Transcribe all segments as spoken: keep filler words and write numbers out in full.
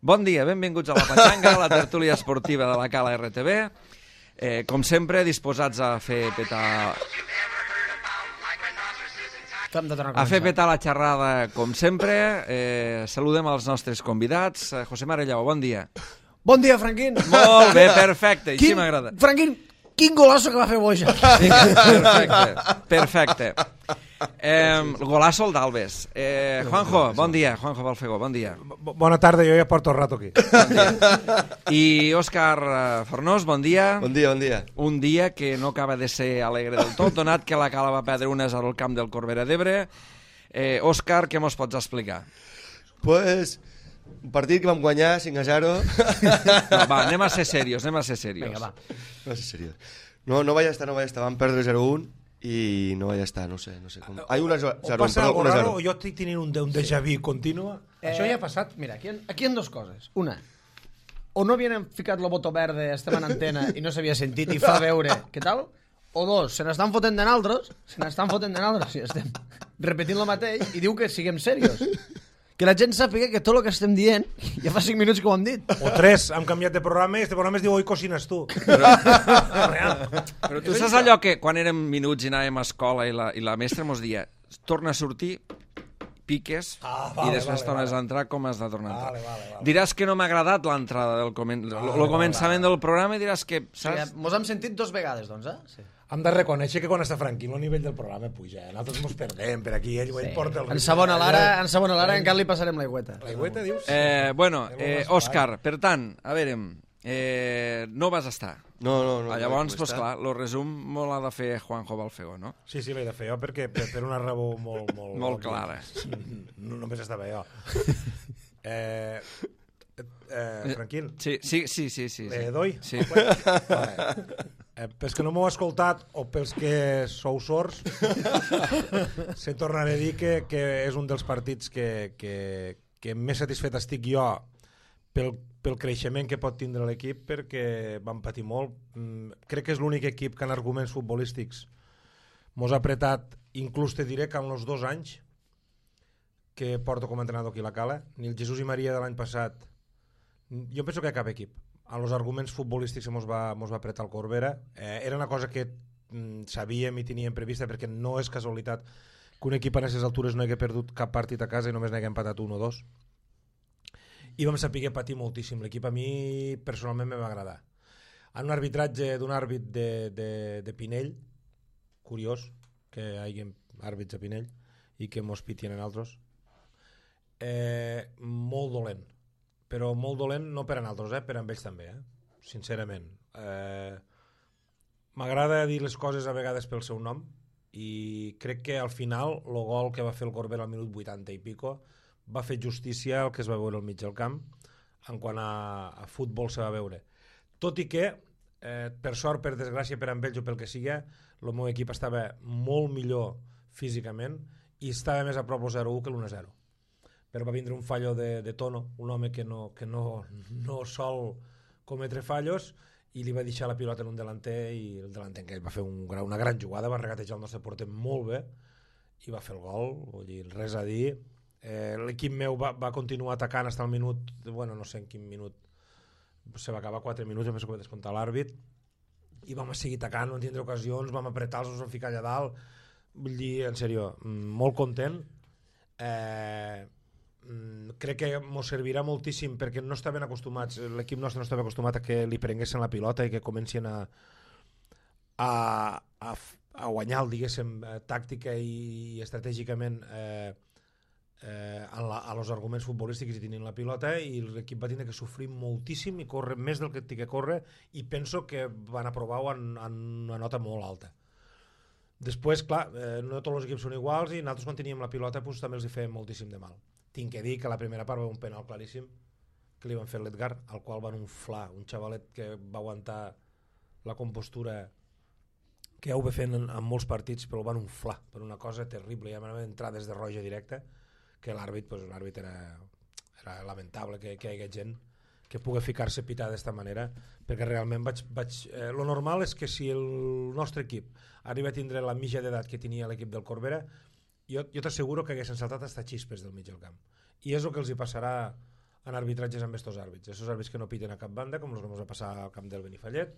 Bon dia, benvinguts a la Patxanga, la tertúlia esportiva de la Cala R T B. Eh, com sempre, disposats a fer petar... A fer petar la xerrada, com sempre. Eh, saludem els nostres convidats. Eh, José Mare Llau, bon dia. Bon dia, Franquín. Molt bé, perfecte, així m'agrada. Franquín, quin golazo que va fer Boja. Perfecte, perfecte. Eh, golazo el d'Albes. Eh, Juanjo, bon dia. Juanjo Balfegó, bon dia. Bona tarda, jo ja porto el rato aquí. Bon dia. I Òscar Fornós, bon dia. Bon dia, bon dia. Un dia que no acaba de ser alegre del tot, donat que la Cala va perdre un a zero al camp del Corbera d'Ebre. Eh, Òscar, què mos pots explicar? Pues, un partit que vam guanyar cinc a zero. No, va, anem a ser serios, anem a ser serios. Vinga, va. No sé seriós. No, no vaig estar, no vaig estar. Vam perdre zero a un i no vaig estar, no sé, no sé com. Hay una zero, O passa perdó, algo una raro zero. o jo estic tenint un, un déjà vu continu. Eh, Això ja ha passat. Mira, aquí, aquí hi ha dos coses. Una, o no havien ficat el botó verde, estem en antena i no s'havia sentit i fa veure què tal, o dos, se n'estan fotent de naltros, se n'estan fotent de naltros i estem repetint el mateix i diu que siguem serios. Que la gent sàpiga que tot el que estem dient ja fa cinc minuts que ho hem dit. O tres, hem canviat de programa i este programa es diu Hoy cocines tu. Però tu saps allò que quan érem minuts i anàvem a escola i la, i la mestra mos dia torna a sortir, piques, Ah, vale, i després vale, tornes vale. a entrar com has de tornar a entrar. Vale, vale, vale. Diràs que no m'ha agradat l'entrada del comen... Vale, el començament vale. del programa i diràs que... O sigui, mos hem sentit dos vegades, doncs, eh? Sí. Hem de reconèixer que quan està Franquín el nivell del programa puja. Eh? Nosaltres ens perdem per aquí, ell, ell porta el... En segona l'ara, en segona l'ara encara li passarem l'aigüeta. L'aigüeta, dius? Eh, bueno, Ja eh, m'ho vas Òscar, per tant, a veure, eh, no vas estar. No, no, no. Ah, llavors, no pues, clar, el resum molt l'ha de fer Juanjo Balfegó, no? Sí, sí, l'he de fer jo perquè per, per una raó molt... Molt, Molt clara. No, només estava jo. Eh, eh, Franquín, Sí, sí, sí, sí. sí, le sí. doy? Sí. Vale. Eh, pels que no m'heu escoltat o pels que sou sords se tornaré a dir que, que és un dels partits que, que, que més satisfet estic jo pel, pel creixement que pot tindre l'equip, perquè vam patir molt. Mm, crec que és l'únic equip que en arguments futbolístics mos ha apretat, inclús te diré que en els dos anys que porto com a entrenador aquí a la Cala, ni el Jesús i Maria de l'any passat, jo penso que cap equip a los arguments futbolístics que mos va, mos va apretar el Corbera. Eh, era una cosa que mm, sabíem i teníem prevista, perquè no és casualitat que un equip a aquestes altures no hagi perdut cap partit a casa i només n'hagi empatat un o dos. I vam saber patir moltíssim. L'equip a mi personalment me va agradar. En un arbitratge d'un àrbit de, de, de Pinell, curiós que hi hagi àrbits a Pinell i que mos pitien en altres, eh, molt dolent, però molt dolent no per a nosaltres, eh? Per a ells també, eh? Sincerament. Eh, M'agrada dir les coses a vegades pel seu nom i crec que al final el gol que va fer el Corbera al minut vuitanta i pico va fer justícia al que es va veure al mig del camp en quant a, a futbol se va veure. Tot i que, eh, per sort, per desgràcia, per a ells o pel que sigui, el meu equip estava molt millor físicament i estava més a prop del zero a u que l'u a zero. Però va vindre un fallo de, de Tono, un home que no, que no, no sol cometre fallos, i li va deixar la pilota en un delanter i el delanter que va fer un, una gran jugada, va regatejar el nostre porter molt bé i va fer el gol, vull dir, res a dir. Eh, l'equip meu va, va continuar atacant fins al minut, bueno, no sé en quin minut, se va acabar quatre minuts, jo penso que va descomptar l'àrbit, i vam seguir atacant, vam tindre ocasions, vam apretar-los, ens vam ficar allà dalt, vull dir, en sèrio, molt content. Eh... crec que ens servirà moltíssim perquè no estaven acostumats, l'equip nostre no estava acostumat a que li prenguessin la pilota i que comencin a a, a, a guanyar, diguéssim, tàctica i estratègicament eh, eh, a, la, a los arguments futbolístics i tenint la pilota, i l'equip va tindre que sofrir moltíssim i córrer més del que té que córrer, i penso que van aprovar-ho en, en una nota molt alta. Després, clar, eh, no tots els equips són iguals i nosaltres quan teníem la pilota pues, també els hi fèiem moltíssim de mal. Tinc que dir que la primera part va un penal claríssim que li van fer a l'Edgar, al qual van unflar, un xavalet que va aguantar la compostura que heu fet en, en molts partits, però el van unflar per una cosa terrible, ja van entrar des de roja directa, que l'àrbit, pues, l'àrbit era, era lamentable que, que hi hagués gent que pugui ficar-se a pitar d'esta manera, perquè realment vaig... vaig eh, lo normal és que si el nostre equip arriba a tindre la mitja d'edat que tenia l'equip del Corbera, jo, jo t'asseguro que haguessin saltat hasta xispes del mig del camp. I és el que els hi passarà en arbitratges amb estos àrbits. Estos àrbits que no piten a cap banda, com els que ens va passar al camp del Benifallet,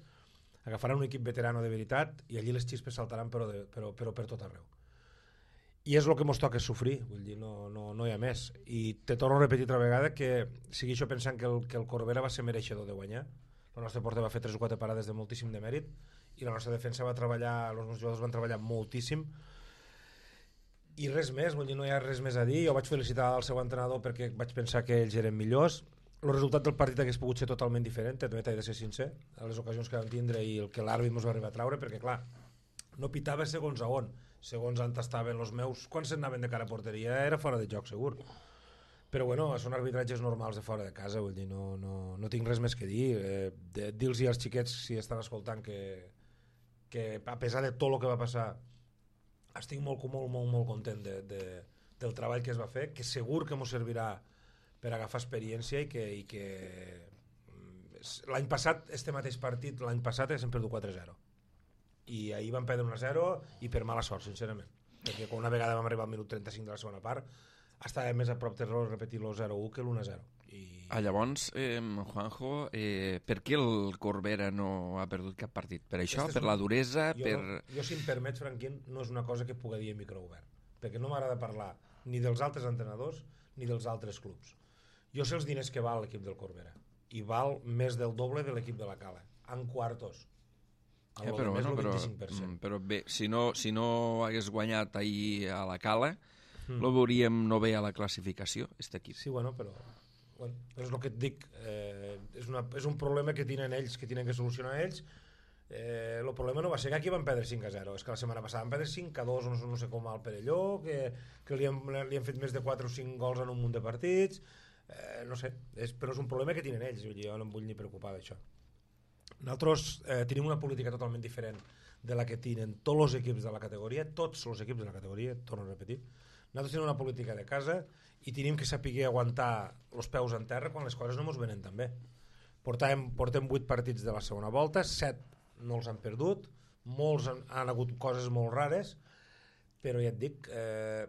agafaran un equip veterano de veritat i allí les xispes saltaran però, de, però, però per tot arreu. I és el que ens toca sofrir, vull dir, no, no, no hi ha més. I te torno a repetir altra vegada que segueixo pensant que el, que el Corbera va ser mereixedor de guanyar. El nostre porter va fer tres o quatre parades de moltíssim de mèrit i la nostra defensa va treballar, els nostres jugadors van treballar moltíssim i res més, vull dir, no hi ha res més a dir. Jo vaig felicitar el seu entrenador perquè vaig pensar que ells eren millors. El resultat del partit hagués pogut ser totalment diferent, també t'he de ser sincer, a les ocasions que vam tindre i el que l'àrbit ens va arribar a traure, perquè clar, no pitava segons a on, segons on estaven els meus, quan s'anaven de cara a porteria era fora de joc segur, però bueno, són arbitratges normals de fora de casa, vull dir, no, no, no tinc res més que dir, eh, de, dir-los als xiquets si estan escoltant que, que a pesar de tot el que va passar estic molt, molt, molt, molt content de, de, del treball que es va fer, que segur que ens servirà per agafar experiència i que, i que l'any passat, este mateix partit l'any passat hem perdut quatre a zero i ahir vam perdre un a zero i per mala sort, sincerament, perquè quan una vegada vam arribar al minut trenta-cinc de la segona part estava més a prop de repetir el zero a u que l'u a zero. I... Ah, llavors, eh, Juanjo, eh, per què el Corbera no ha perdut cap partit? Per això? Per la duresa? Jo, per... no, jo, si em permets, Franquín, no és una cosa que pugui dir a micro obert, perquè no m'agrada parlar ni dels altres entrenadors ni dels altres clubs. Jo sé els diners que val l'equip del Corbera i val més del doble de l'equip de la Cala, en quartos. Eh, però, bueno, però, però bé, si no, si no hagués guanyat ahir a la Cala, mm. lo veuríem no bé a la classificació, este equip. Sí, bueno, però, bueno, però és el que et dic, eh, és, una, és un problema que tenen ells, que tenen que solucionar ells. Eh, el problema no va ser que aquí van perdre cinc a zero, és que la setmana passada van perdre cinc a dos, no, no sé com al Perelló, que, que li, han, li han fet més de quatre o cinc gols en un munt de partits, eh, no sé, és, però és un problema que tenen ells, jo no em vull ni preocupar d'això. Nosaltres eh, tenim una política totalment diferent de la que tenen tots els equips de la categoria, tots els equips de la categoria, torno a repetir. Nosaltres tenim una política de casa i tenim que saber aguantar els peus en terra quan les coses no ens venen tan bé. Portem, portem vuit partits de la segona volta, set no els han perdut, molts han, han hagut coses molt rares, però ja et dic, eh,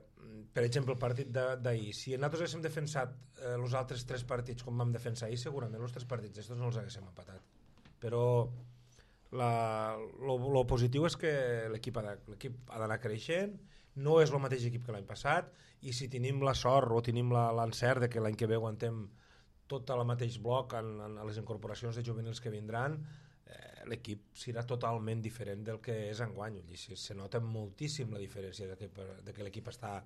per exemple, el partit d'ahir, si nosaltres haguéssim defensat eh, els altres tres partits com vam defensar ahir, segurament els tres partits estos no els haguéssim empatat. Però la, lo, lo positiu és que l'equip ha d'anar creixent, no és el mateix equip que l'any passat, i si tenim la sort o tenim l'encert de que l'any que ve aguantem tot el mateix bloc en, en les incorporacions de juvenils que vindran, eh, l'equip serà totalment diferent del que és enguany. Se, se nota moltíssim la diferència de que, de que l'equip està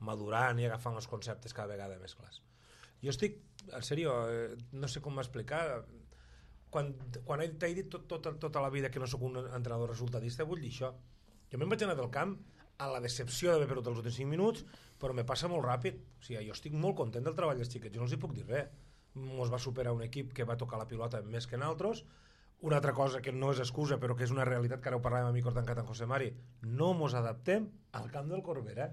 madurant i agafant els conceptes cada vegada més clars. Jo estic, en sèrio, eh, no sé com m'explicar, quan, quan t'he dit tot, tot, tota la vida que no sóc un entrenador resultadista, vull dir això. Jo me'n vaig anar del camp a la decepció d'haver perdut els últims cinc minuts, però me passa molt ràpid. O sigui, jo estic molt content del treball dels xiquets, jo no els hi puc dir res. Ens va superar un equip que va tocar la pilota més que nosaltres. Una altra cosa que no és excusa, però que és una realitat, que ara ho parlàvem a mi tancat en José Mari, no ens adaptem al camp del Corbera.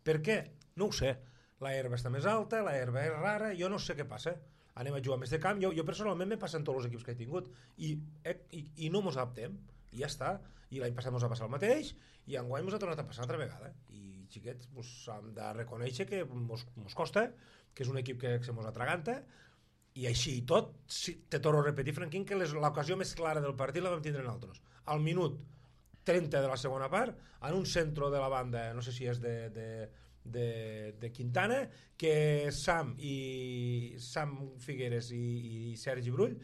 Per què? No ho sé. La herba està més alta, la herba és rara, jo no sé què passa. Anem a jugar més de camp, jo, jo personalment me passen tots els equips que he tingut i, i, i no ens adaptem, i ja està. I l'any passat ens va passar el mateix i enguany ens ha tornat a passar altra vegada, i xiquets, pues, hem de reconèixer que ens costa, que és un equip que se mos atraganta, i així i tot, si, te torno a repetir, Franquín, que l'ocasió més clara del partit la vam tindre nosaltres. Al minut trenta de la segona part, en un centre de la banda, no sé si és de, de, de, de Quintana, que Sam i Sam Figueres i, i Sergi Brull,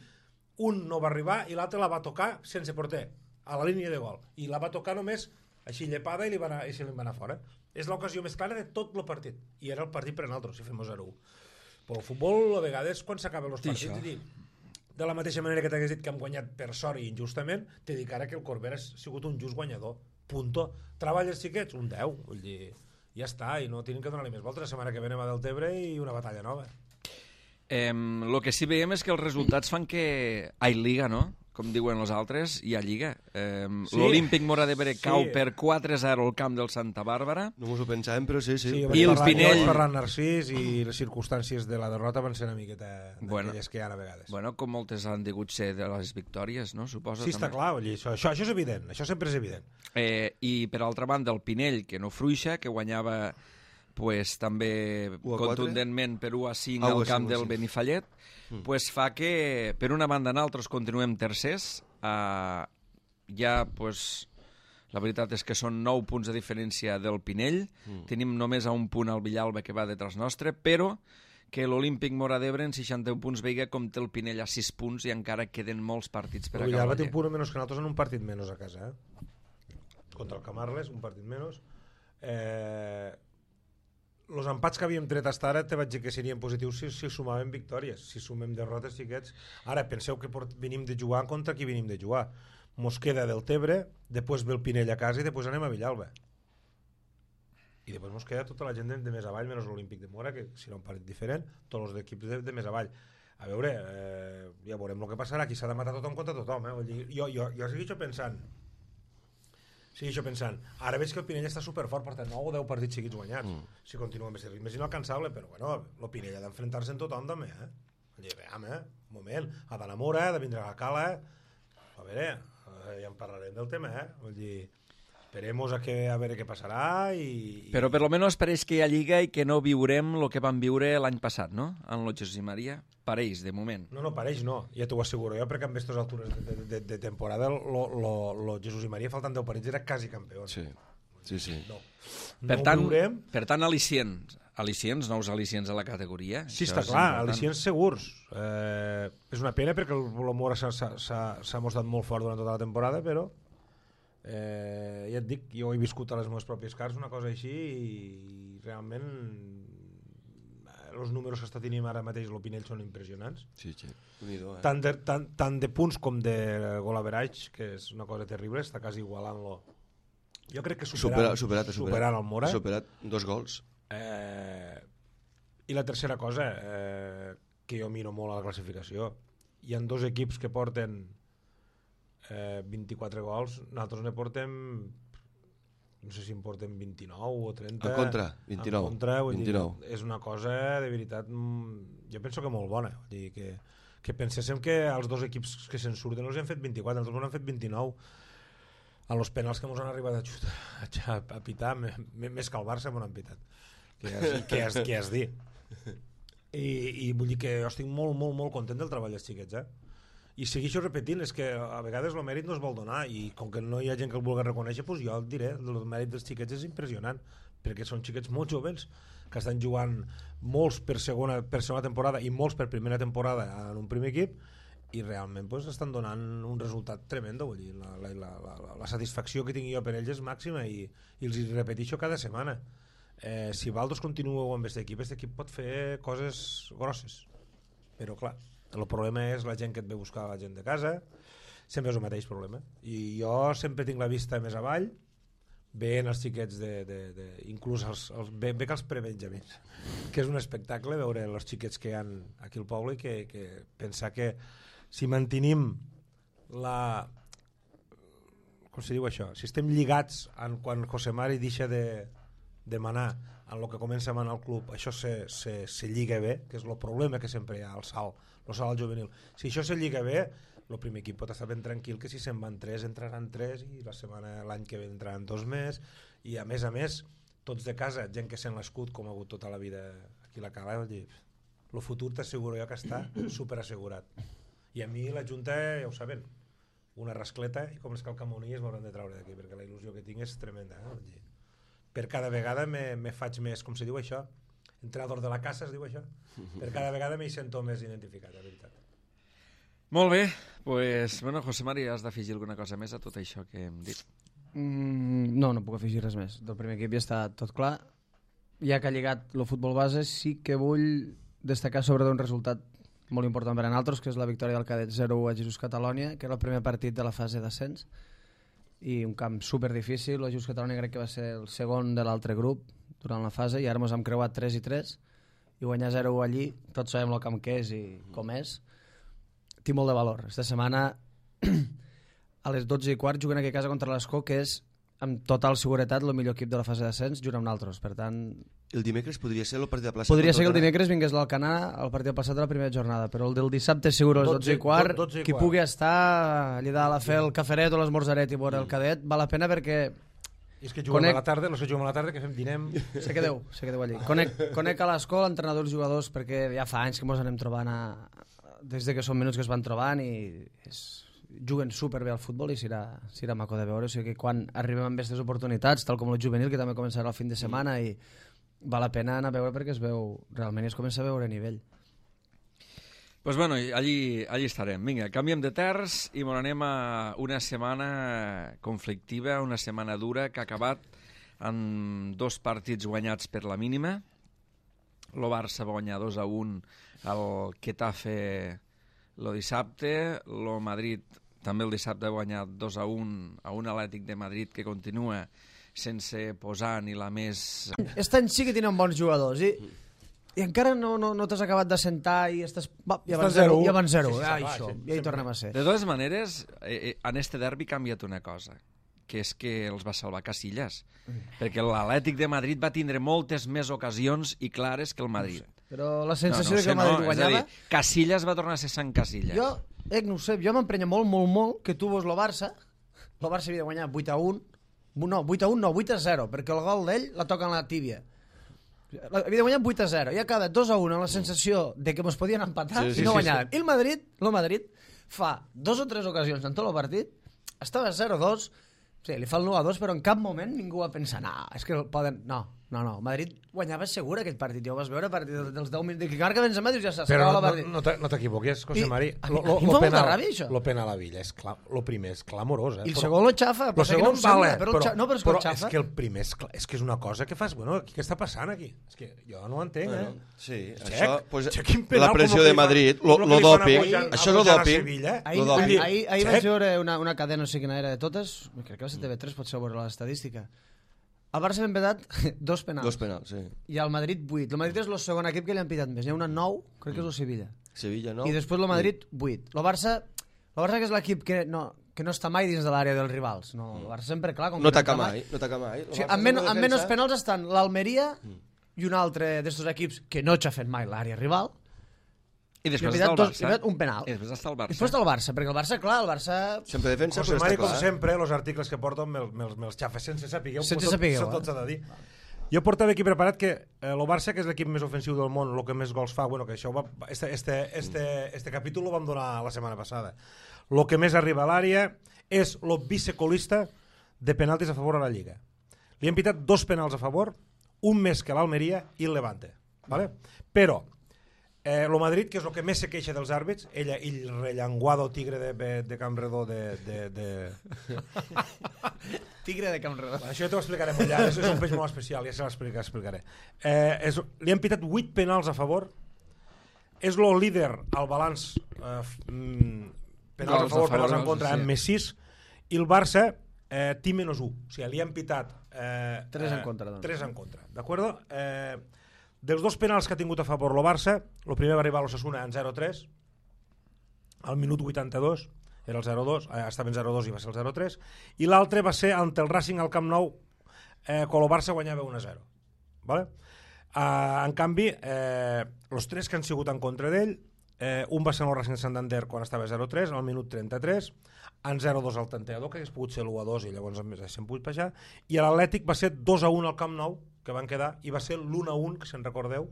un no va arribar i l'altre la va tocar sense porter, a la línia de gol, i la va tocar només així llepada i, li va anar, i se li va anar fora. És l'ocasió més clara de tot el partit, i era el partit per a nosaltres, si fem zero a u. Però el futbol, a vegades, quan s'acaben els partits, sí, dir, de la mateixa manera que t'hagués dit que hem guanyat per sort i injustament, t'he dit ara que el Corbera ha sigut un just guanyador. Punto. Treballes, xiquets? Un deu. Vull dir, ja està, i no tenen que donar-li més voltes. La setmana que ve anem a Deltebre i una batalla nova. Eh, lo que sí veiem és que els resultats fan que hi Liga, no? Com diuen els altres, hi ha Lliga. Eh, sí. L'Olímpic Móra d'Ebre sí. cau per quatre a zero al camp del Santa Bàrbara. No mos ho pensàvem, però sí, sí. sí I el Pinell... Ferran Narcís i les circumstàncies de la derrota van ser una miqueta bueno, d'aquelles que hi ha a vegades. Bueno, com moltes han degut ser de les victòries, no? Suposo. Sí, també. Està clar, oi, això, això, això és evident, això sempre és evident. Eh, I per altra banda, el Pinell, que no fruixa, que guanyava pues, també contundentment per u a cinc ah, al camp sí, del sí. Benifallet, mm. pues fa que, per una banda, nosaltres continuem tercers. Uh, ja, pues, la veritat és que són nou punts de diferència del Pinell. Mm. Tenim només a un punt al Villalba que va detrás nostre, però que l'Olímpic Móra d'Ebre en seixanta-un punts veiga com té el Pinell a sis punts i encara queden molts partits per el acabar. El Villalba té un punt menys que nosaltres en un partit menys a casa, eh? Contra el Camarles, un partit menys. Eh... Els empats que havíem tret fins ara te vaig dir que serien positius si, si sumàvem victòries. Si sumem derrotes, xiquets... Ara, penseu que port... venim de jugar contra qui venim de jugar. Mos queda del Tebre, després ve el Pinell a casa i després anem a Villalba. I després mos queda tota la gent de, de més avall, menys l'Olímpic de Mora, que serà un partit diferent, tots els equips de, de més avall. A veure, eh, ja veurem el que passarà. Aquí s'ha de matar tothom contra tothom. Eh? Vull dir, jo, jo, jo segueixo pensant... Segueixo pensant, ara veig que el Pinell està superfort, porta nou o deu partits seguits guanyats. Mm. Si continua amb aquest ritme és inalcançable, però bueno, el Pinell ha d'enfrontar-se en tothom també, eh? Vull dir, veam, eh? Un moment, ha d'anar a Mora, ha de vindre a la Cala, a veure, ja en parlarem del tema, eh? Vull dir, esperemos a, que, a veure què passarà i... Però per lo menos pareix que hi ha Lliga i que no viurem el que vam viure l'any passat, no? En el Jesús i Maria. Pareix, de moment. No, no, pareix no, ja t'ho asseguro jo, perquè amb aquestes altures de, de, de temporada lo, lo, lo Jesús i Maria faltant deu partits era quasi campió. Sí, sí, sí. No, per, no tant, veurem. Per tant, al·licients, al·licients, nous al·licients a la categoria. Sí, Això està és clar, important. al·licients segurs. Eh, és una pena perquè el, el Mora s'ha mostrat molt fort durant tota la temporada, però eh, ja et dic, jo he viscut a les meves pròpies carns una cosa així i realment els números que està tenint ara mateix l'Opinell són impressionants. Sí, sí. Unido, eh? Tant, de, tant, tant de punts com de gol average, que és una cosa terrible, està quasi igualant-lo. Jo crec que superant, superat, superat, superat, superant el Mora. Superat dos gols. Eh, I la tercera cosa, eh, que jo miro molt a la classificació, hi ha dos equips que porten eh, vint-i-quatre gols, nosaltres ne portem... no sé si en porten vint-i-nou o trenta. En contra, vint-i-nou. En contra, vull vint-i-nou. dir, és una cosa de veritat, jo penso que molt bona. Vull dir, que, que penséssim que els dos equips que se'n surten els han fet vint-i-quatre, els han fet vint-i-nou. A los penals que ens han arribat a, xutar, a, a pitar, més que el Barça m'ho han pitat. Què has, què has, què has dit? I, I vull dir que jo estic molt, molt, molt content del treball dels xiquets, eh? I segueixo repetint, és que a vegades el mèrit no es vol donar i com que no hi ha gent que el vulgui reconèixer, doncs jo el diré, el mèrit dels xiquets és impressionant, perquè són xiquets molt joves que estan jugant molts per segona, per segona temporada i molts per primera temporada en un primer equip i realment doncs, estan donant un resultat tremendo, vull dir, la, la, la, la, la satisfacció que tinc jo per ells és màxima i, i els hi repeteixo cada setmana. Eh, si Valdos continueu amb aquest equip, aquest equip pot fer coses grosses, però clar, el problema és la gent que et ve a buscar, la gent de casa, sempre és el mateix problema. I jo sempre tinc la vista més avall, veient els xiquets, de, de, de, inclús els, els, ve, ve que els prebenjamins, que és un espectacle veure els xiquets que hi ha aquí al poble i que, que pensar que si mantenim la... com se diu això? Si estem lligats en quan José Mari deixa de, de manar en el que comença a manar el club, això se, se, se lliga bé, que és el problema que sempre hi ha al salt, el salt al juvenil. Si això se lliga bé, el primer equip pot estar ben tranquil que si se'n van tres, entraran tres i la setmana, l'any que ve entraran dos més i a més a més, tots de casa, gent que sent l'escut com ha hagut tota la vida aquí a la Cala, dir, el futur t'asseguro jo que està superassegurat. I a mi la Junta, ja ho saben, una rascleta i com les calcamonies m'hauran de treure d'aquí perquè la il·lusió que tinc és tremenda. Eh? Per cada vegada me, me faig més, com se diu això? Entrenador de la casa es diu això? Per cada vegada m'hi sento més identificat, la veritat. Molt bé, pues, bueno, José Mari, has d'afegir alguna cosa més a tot això que hem dit? Mm, no, no puc afegir res més. Del primer equip ja està tot clar. Ja que ha lligat el futbol base, sí que vull destacar sobre un resultat molt important per a nosaltres, que és la victòria del Cadet zero u a Jesús Catalònia, que era el primer partit de la fase d'ascens, i un camp super difícil. La Jesús Catalònia crec que va ser el segon de l'altre grup durant la fase, i ara ens hem creuat tres i tres, i guanyar zero u allí, tots sabem el camp que és i com és, té molt de valor. Esta setmana a les dotze i quart juguen aquí a casa contra l'Escó, que és amb total seguretat el millor equip de la fase d'ascens, junt amb nosaltres. Per tant, el dimecres podria ser el partit de plaça? Podria ser que el dimecres vingués l'Alcanar al partit passat de la primera jornada, però el del dissabte segur a les dotze i quart, dotze i qui quart. pugui estar allà dalt a fer el caferet o l'esmorzaret i veure el Cadet, val la pena perquè I és que juguem Conec... a la tarda, els que juguem a la tarda, que fem, dinem... Se quedeu, se quedeu allí. Conec, conec a l'escola entrenadors i jugadors perquè ja fa anys que ens anem trobant a... des de que són minuts que es van trobant i és... juguen superbé al futbol i serà, serà maco de veure. O sigui que quan arribem amb aquestes oportunitats, tal com el juvenil, que també començarà el fin de setmana, i val la pena anar a veure perquè es veu realment i es comença a veure a nivell. Pues bueno, allí, allí estarem. Vinga, canviem de terç i ens anem a una setmana conflictiva, una setmana dura que ha acabat amb dos partits guanyats per la mínima. El Barça va guanyar dos a un al Getafe el dissabte, el Madrid també el dissabte va guanyar dos a un a un Atlètic de Madrid que continua sense posar ni la més... Aquest any sí que tenen bons jugadors i... I encara no, no, no t'has acabat d'assentar i estàs... Va, ja van zero, ja van zero. Sí, sí, ah, va, això, sí, ja hi tornem a ser. De totes maneres, eh, en este derbi ha canviat una cosa, que és que els va salvar Casillas, mm. perquè l'Atlètic de Madrid va tindre moltes més ocasions i clares que el Madrid. No sé. Però la sensació no, no, de que el Madrid no, guanyava... Dir, Casillas va tornar a ser Sant Casillas. Jo, eh, no ho sé, jo m'emprenya molt, molt, molt que tu veus el Barça, el Barça havia de guanyar vuit a un, no, vuit a un no, vuit a zero, perquè el gol d'ell la toca en la tíbia. Havia de guanyar vuit a zero i ha quedat dos a un amb la sensació de que ens podien empatar sí, sí, i no guanyàvem. Sí, sí. I el Madrid, el Madrid fa dos o tres ocasions en tot el partit, estava zero a dos, sí, li fa el nou a dos, però en cap moment ningú va pensar, no, és que poden... No, no, no, Madrid guanyava segur aquest partit, ja ho vas veure a partir dels deu minuts, que marca Benzema dius ja s'acaba la partit. Però no, no t'equivoques, José Mari, lo, lo, lo, penal, ràbia, lo penal a Villa, és clam, lo primer és clamorós, eh? I el però, segon lo xafa, però segon no vale, però, però, no, però, és, però que és que el primer és, és que és una cosa que fas, bueno, què està passant aquí? És que jo no ho entenc, bueno, eh? Sí, Check, això, pues, penal, la pressió de Madrid, lo, lo, lo doping, això és el doping. Ahir, ahir, ahir, ahir vaig veure una, una cadena, no sé quina era de totes, crec que va ser T V tres, potser veure l'estadística. El Barça l'han petat dos penals. Dos penals, sí. I el Madrid vuit. El Madrid és el segon equip que li han pitat més. Hi ha una nou, crec que és el Sevilla. Sevilla, nou. I després el Madrid vuit. El Barça, el Barça que és l'equip que no, que no està mai dins de l'àrea dels rivals. No, el Barça sempre, clar... Com no taca mai, no taca mai. O sigui, amb, men amb menys penals estan l'Almeria i un altre d'estos equips que no ha fet mai l'àrea rival. I després està el Barça. Dos, un penal. I després està el Barça. I després està el Barça, perquè el Barça, clar, el Barça... Sempre defensa, però està clar. Com sempre, els articles que porto me'ls me me xafes sense sapigueu. Sense sapigueu, eh? Tot s'ha de dir. Jo portava aquí preparat que eh, el Barça, que és l'equip més ofensiu del món, el que més gols fa, bueno, que això va, este, este, este, este capítol lo vam donar la setmana passada. El que més arriba a l'àrea és el vicecolista de penaltis a favor a la Lliga. Li han pitat dos penals a favor, un més que l'Almeria i el Levante. Vale? Però Eh, el Madrid, que és el que més se queixa dels àrbits, ella, el rellenguado tigre de, de, de Campredó de... de, de... tigre de Campredó. Bueno, això ja t'ho explicaré molt llarg, és un peix molt especial, ja se l'explicaré. Eh, és, li han pitat vuit penals a favor, és el líder al balanç eh, penals a favor, penals en contra, amb més sis, i el Barça eh, té menys u, o sigui, li han pitat... Eh, tres en contra. Doncs. Tres en contra, d'acord? Eh... Dels dos penals que ha tingut a favor el Barça, el primer va arribar a l'Osasuna en zero a tres, al minut vuitanta-dos, era el zero a dos, eh, estava en zero a dos i va ser el zero a tres, i l'altre va ser ante el Racing al Camp Nou, eh, quan el Barça guanyava un a zero. Vale? Eh, en canvi, eh, els tres que han sigut en contra d'ell, eh, un va ser el Racing de Santander quan estava a zero a tres, al minut trenta-tres, en zero a dos al tanteador, que hagués pogut ser l'u a dos i llavors s'han pogut baixar, i l'Atlètic va ser dos a un al Camp Nou, que van quedar, i va ser l'u a un, que se'n recordeu,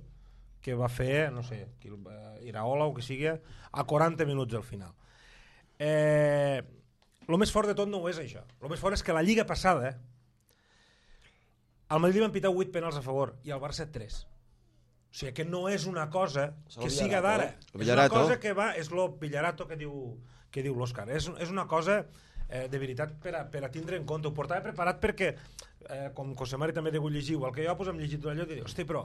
que va fer, no sé, Iraola o que sigui, a quaranta minuts al final. Eh, el més fort de tot no ho és això. El més fort és que la Lliga passada, al Madrid van pitar vuit penals a favor, i al Barça tres. O sigui, que no és una cosa que siga d'ara. És una cosa que va, és lo Villarato que diu, que diu l'Òscar. És, és una cosa... Eh, de veritat per a, per a tindre en compte. Ho portava preparat perquè eh, com José Mari també degut llegir, igual que jo pues, hem llegit allò i dic, hosti, però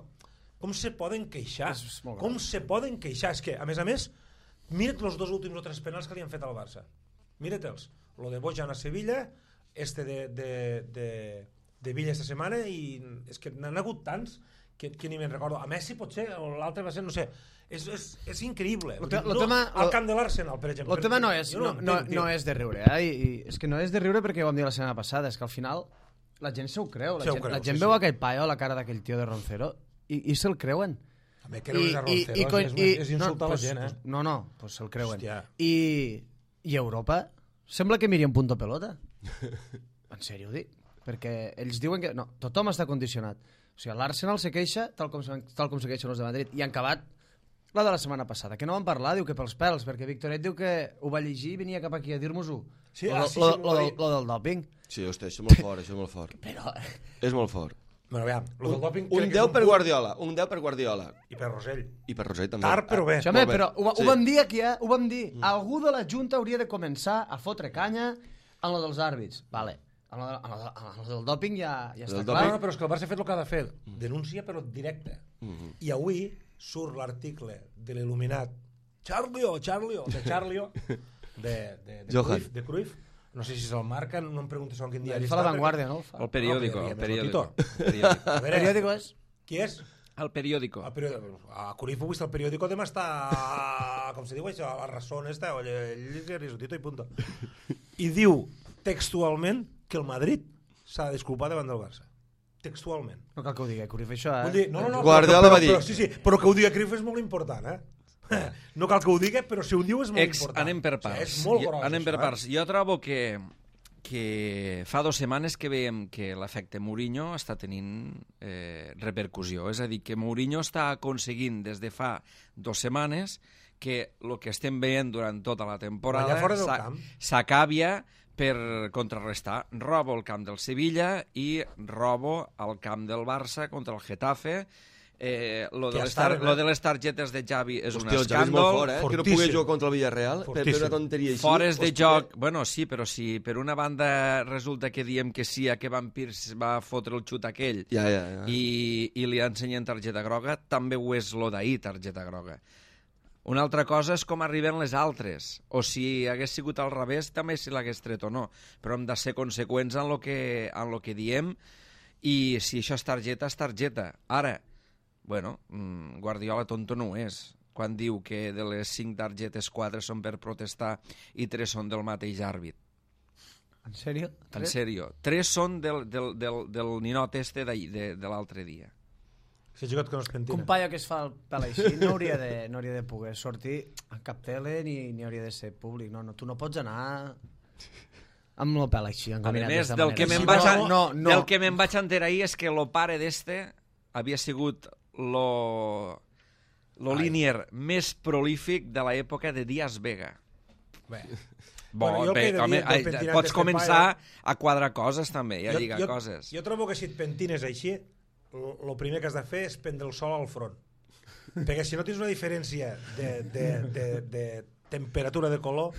com se poden queixar? Com se poden queixar? És que, a més a més, mira't els dos últims o tres penals que li han fet al Barça. Mira't-els. Lo de Bojan a Sevilla, este de, de, de, de Villa esta setmana, i és que n'han hagut tants que, que ni me'n recordo. A Messi potser, o l'altre va ser, no sé, és, és, és increïble. Lo te, lo no, tema, al camp de l'Arsenal, per exemple. El tema no és, no, no, no, no és de riure, eh? I, i és que no és de riure perquè ho vam dir la setmana passada, és que al final la gent se ho creu, la, se gent, creu, la gent sí, veu sí. aquell paio, la cara d'aquell tio de Roncero, i, i se'l creuen. A mi creure's a Roncero i, i, és, i, és insultar no, la gent, eh? No, no, pues se'l creuen. I, I Europa sembla que miri un punto pelota. En sèrio ho dic. perquè ells diuen que... No, tothom està condicionat. O sigui, l'Arsenal se queixa tal com, tal com se queixen els de Madrid, i han acabat la de la setmana passada, que no van parlar, diu que pels pèls, perquè Victoret diu que ho va llegir i venia cap aquí a dir-nos-ho. Sí, lo, ah, sí, lo, sí, lo, lo, del, lo del doping. Sí, hosti, això és molt fort, això és molt fort. Però... És molt fort. Bueno, aviam, lo del doping... Un deu per Guardiola, un deu per Guardiola. I per Rosell. I per Rosell també. Tard, però bé. Sí, home, però ho, ho Sí. vam dir aquí, eh? Ho vam dir. Mm. Algú de la Junta hauria de començar a fotre canya en lo dels àrbits. Vale. En lo, de, en lo, de, en lo del dòping ja, ja està Del clar. No, no, però és que el Barça ha fet el que ha de fer. Denúncia, però directe. Mm-hmm. I avui surt l'article de l'il·luminat Charlio, Charlio, de Charlio, de, de, de, Johan. Cruyff, de Cruyff. No sé si se'l marquen, no em preguntes en quin diari Ell està. fa la perquè- Vanguardia, no? El fa. El periòdico, No, el però periòdico. més El periòdico. A El veure, periòdico és... qui és? El periòdico. El periòdico. A Cruyff ho vist, el periòdico demà està, com se diu això, a la razón esta, oye, ell és risotito i punto. I diu textualment que el Madrid s'ha de disculpar davant del Barça. Textualment. No cal que ho digui, Cruyff, això, eh? Vull dir, no, no, no, Guardiola però, va dir- però, sí, sí, però que ho digui Cruyff és molt important, eh? No cal que ho digui, però si ho diu és molt Ex, important. anem per O sigui, parts. és molt Jo- gros, anem per això, eh? parts. Jo trobo que, que fa dues setmanes que veiem que l'efecte Mourinho està tenint eh, repercussió. És a dir, que Mourinho està aconseguint des de fa dues setmanes que el que estem veient durant tota la temporada Guanyar fora del s'a- camp. s'acabia per contrarrestar. Robo el camp del Sevilla i robo al camp del Barça contra el Getafe. Eh, lo, Que de les estaven, tar- eh? lo de les targetes de Xavi és un Hòstia, el Xavi és molt escàndol. fort, eh? Que no Fortíssim. pugui jugar contra el Villarreal per, per Fortíssim. una tonteria així. Fores de Hòstia, joc, bueno, sí, però si per una banda resulta que diem que sí a que Van Pierce va fotre el xut aquell Ja, ja, ja. i, i li ensenyen targeta groga, també ho és lo d'ahir, targeta groga. Una altra cosa és com arriben les altres, o si hagués sigut al revés, també si l'hagués tret o no, però hem de ser conseqüents en lo que, en lo que diem, i si això és targeta, és targeta. Ara, bueno, mm, Guardiola tonto no ho és, quan diu que de les cinc targetes, quatre són per protestar i tres són del mateix àrbit. En sèrio? En sèrio. Tres són del, del, del, del ninot este d'ahir, de, de l'altre dia. Si ha jugat que no es Que pentina. un paio que es fa el pèl així no hauria de, no hauria de poder sortir a cap tele ni, ni hauria de ser públic. No, no, tu no pots anar amb el pèl així, A encaminat més, d'esta del manera. que me'n Sí, vaig, no, a- no, no. del que me'n vaig enterar ahir és que el pare d'este havia sigut lo, lo línier més prolífic de l'època de Díaz Vega. Bé. Bo, Bueno, jo el bé, que he de dir home, del ai, pentinat pots d'este començar a quadrar coses també, i a Jo- lligar jo, coses. Jo trobo que si et pentines així, el primer que has de fer és prendre el sol al front. Perquè si no tens una diferència de, de, de, de temperatura de color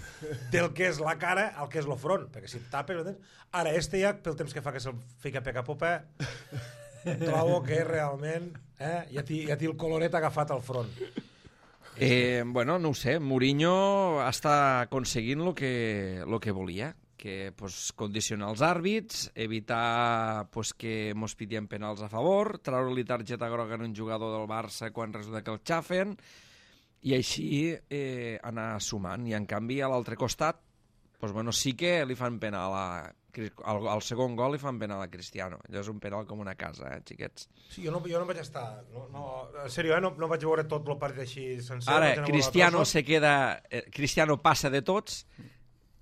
del que és la cara al que és el front, perquè si et tapes... no tens- Ara, este ja, pel temps que fa que se'l fica peca popa, trobo que realment eh, ja té ja té el coloret agafat al front. Eh, bueno, no ho sé, Mourinho està aconseguint el que, lo que volia, que pues, condicionar els àrbits, evitar pues, que mos pitien penals a favor, treure-li targeta groga en un jugador del Barça quan resulta que el xafen, i així eh, anar sumant. I en canvi, a l'altre costat, pues, bueno, sí que li fan penal a... Al, al segon gol li fan penal a Cristiano. Allò és un penal com una casa, eh, xiquets. Sí, jo no, jo no vaig estar... No, no, en sèrio, eh, no, no vaig veure tot el partit així sencer. Ara, vaig anar a veure Cristiano trossos. se queda... Eh, Cristiano passa de tots,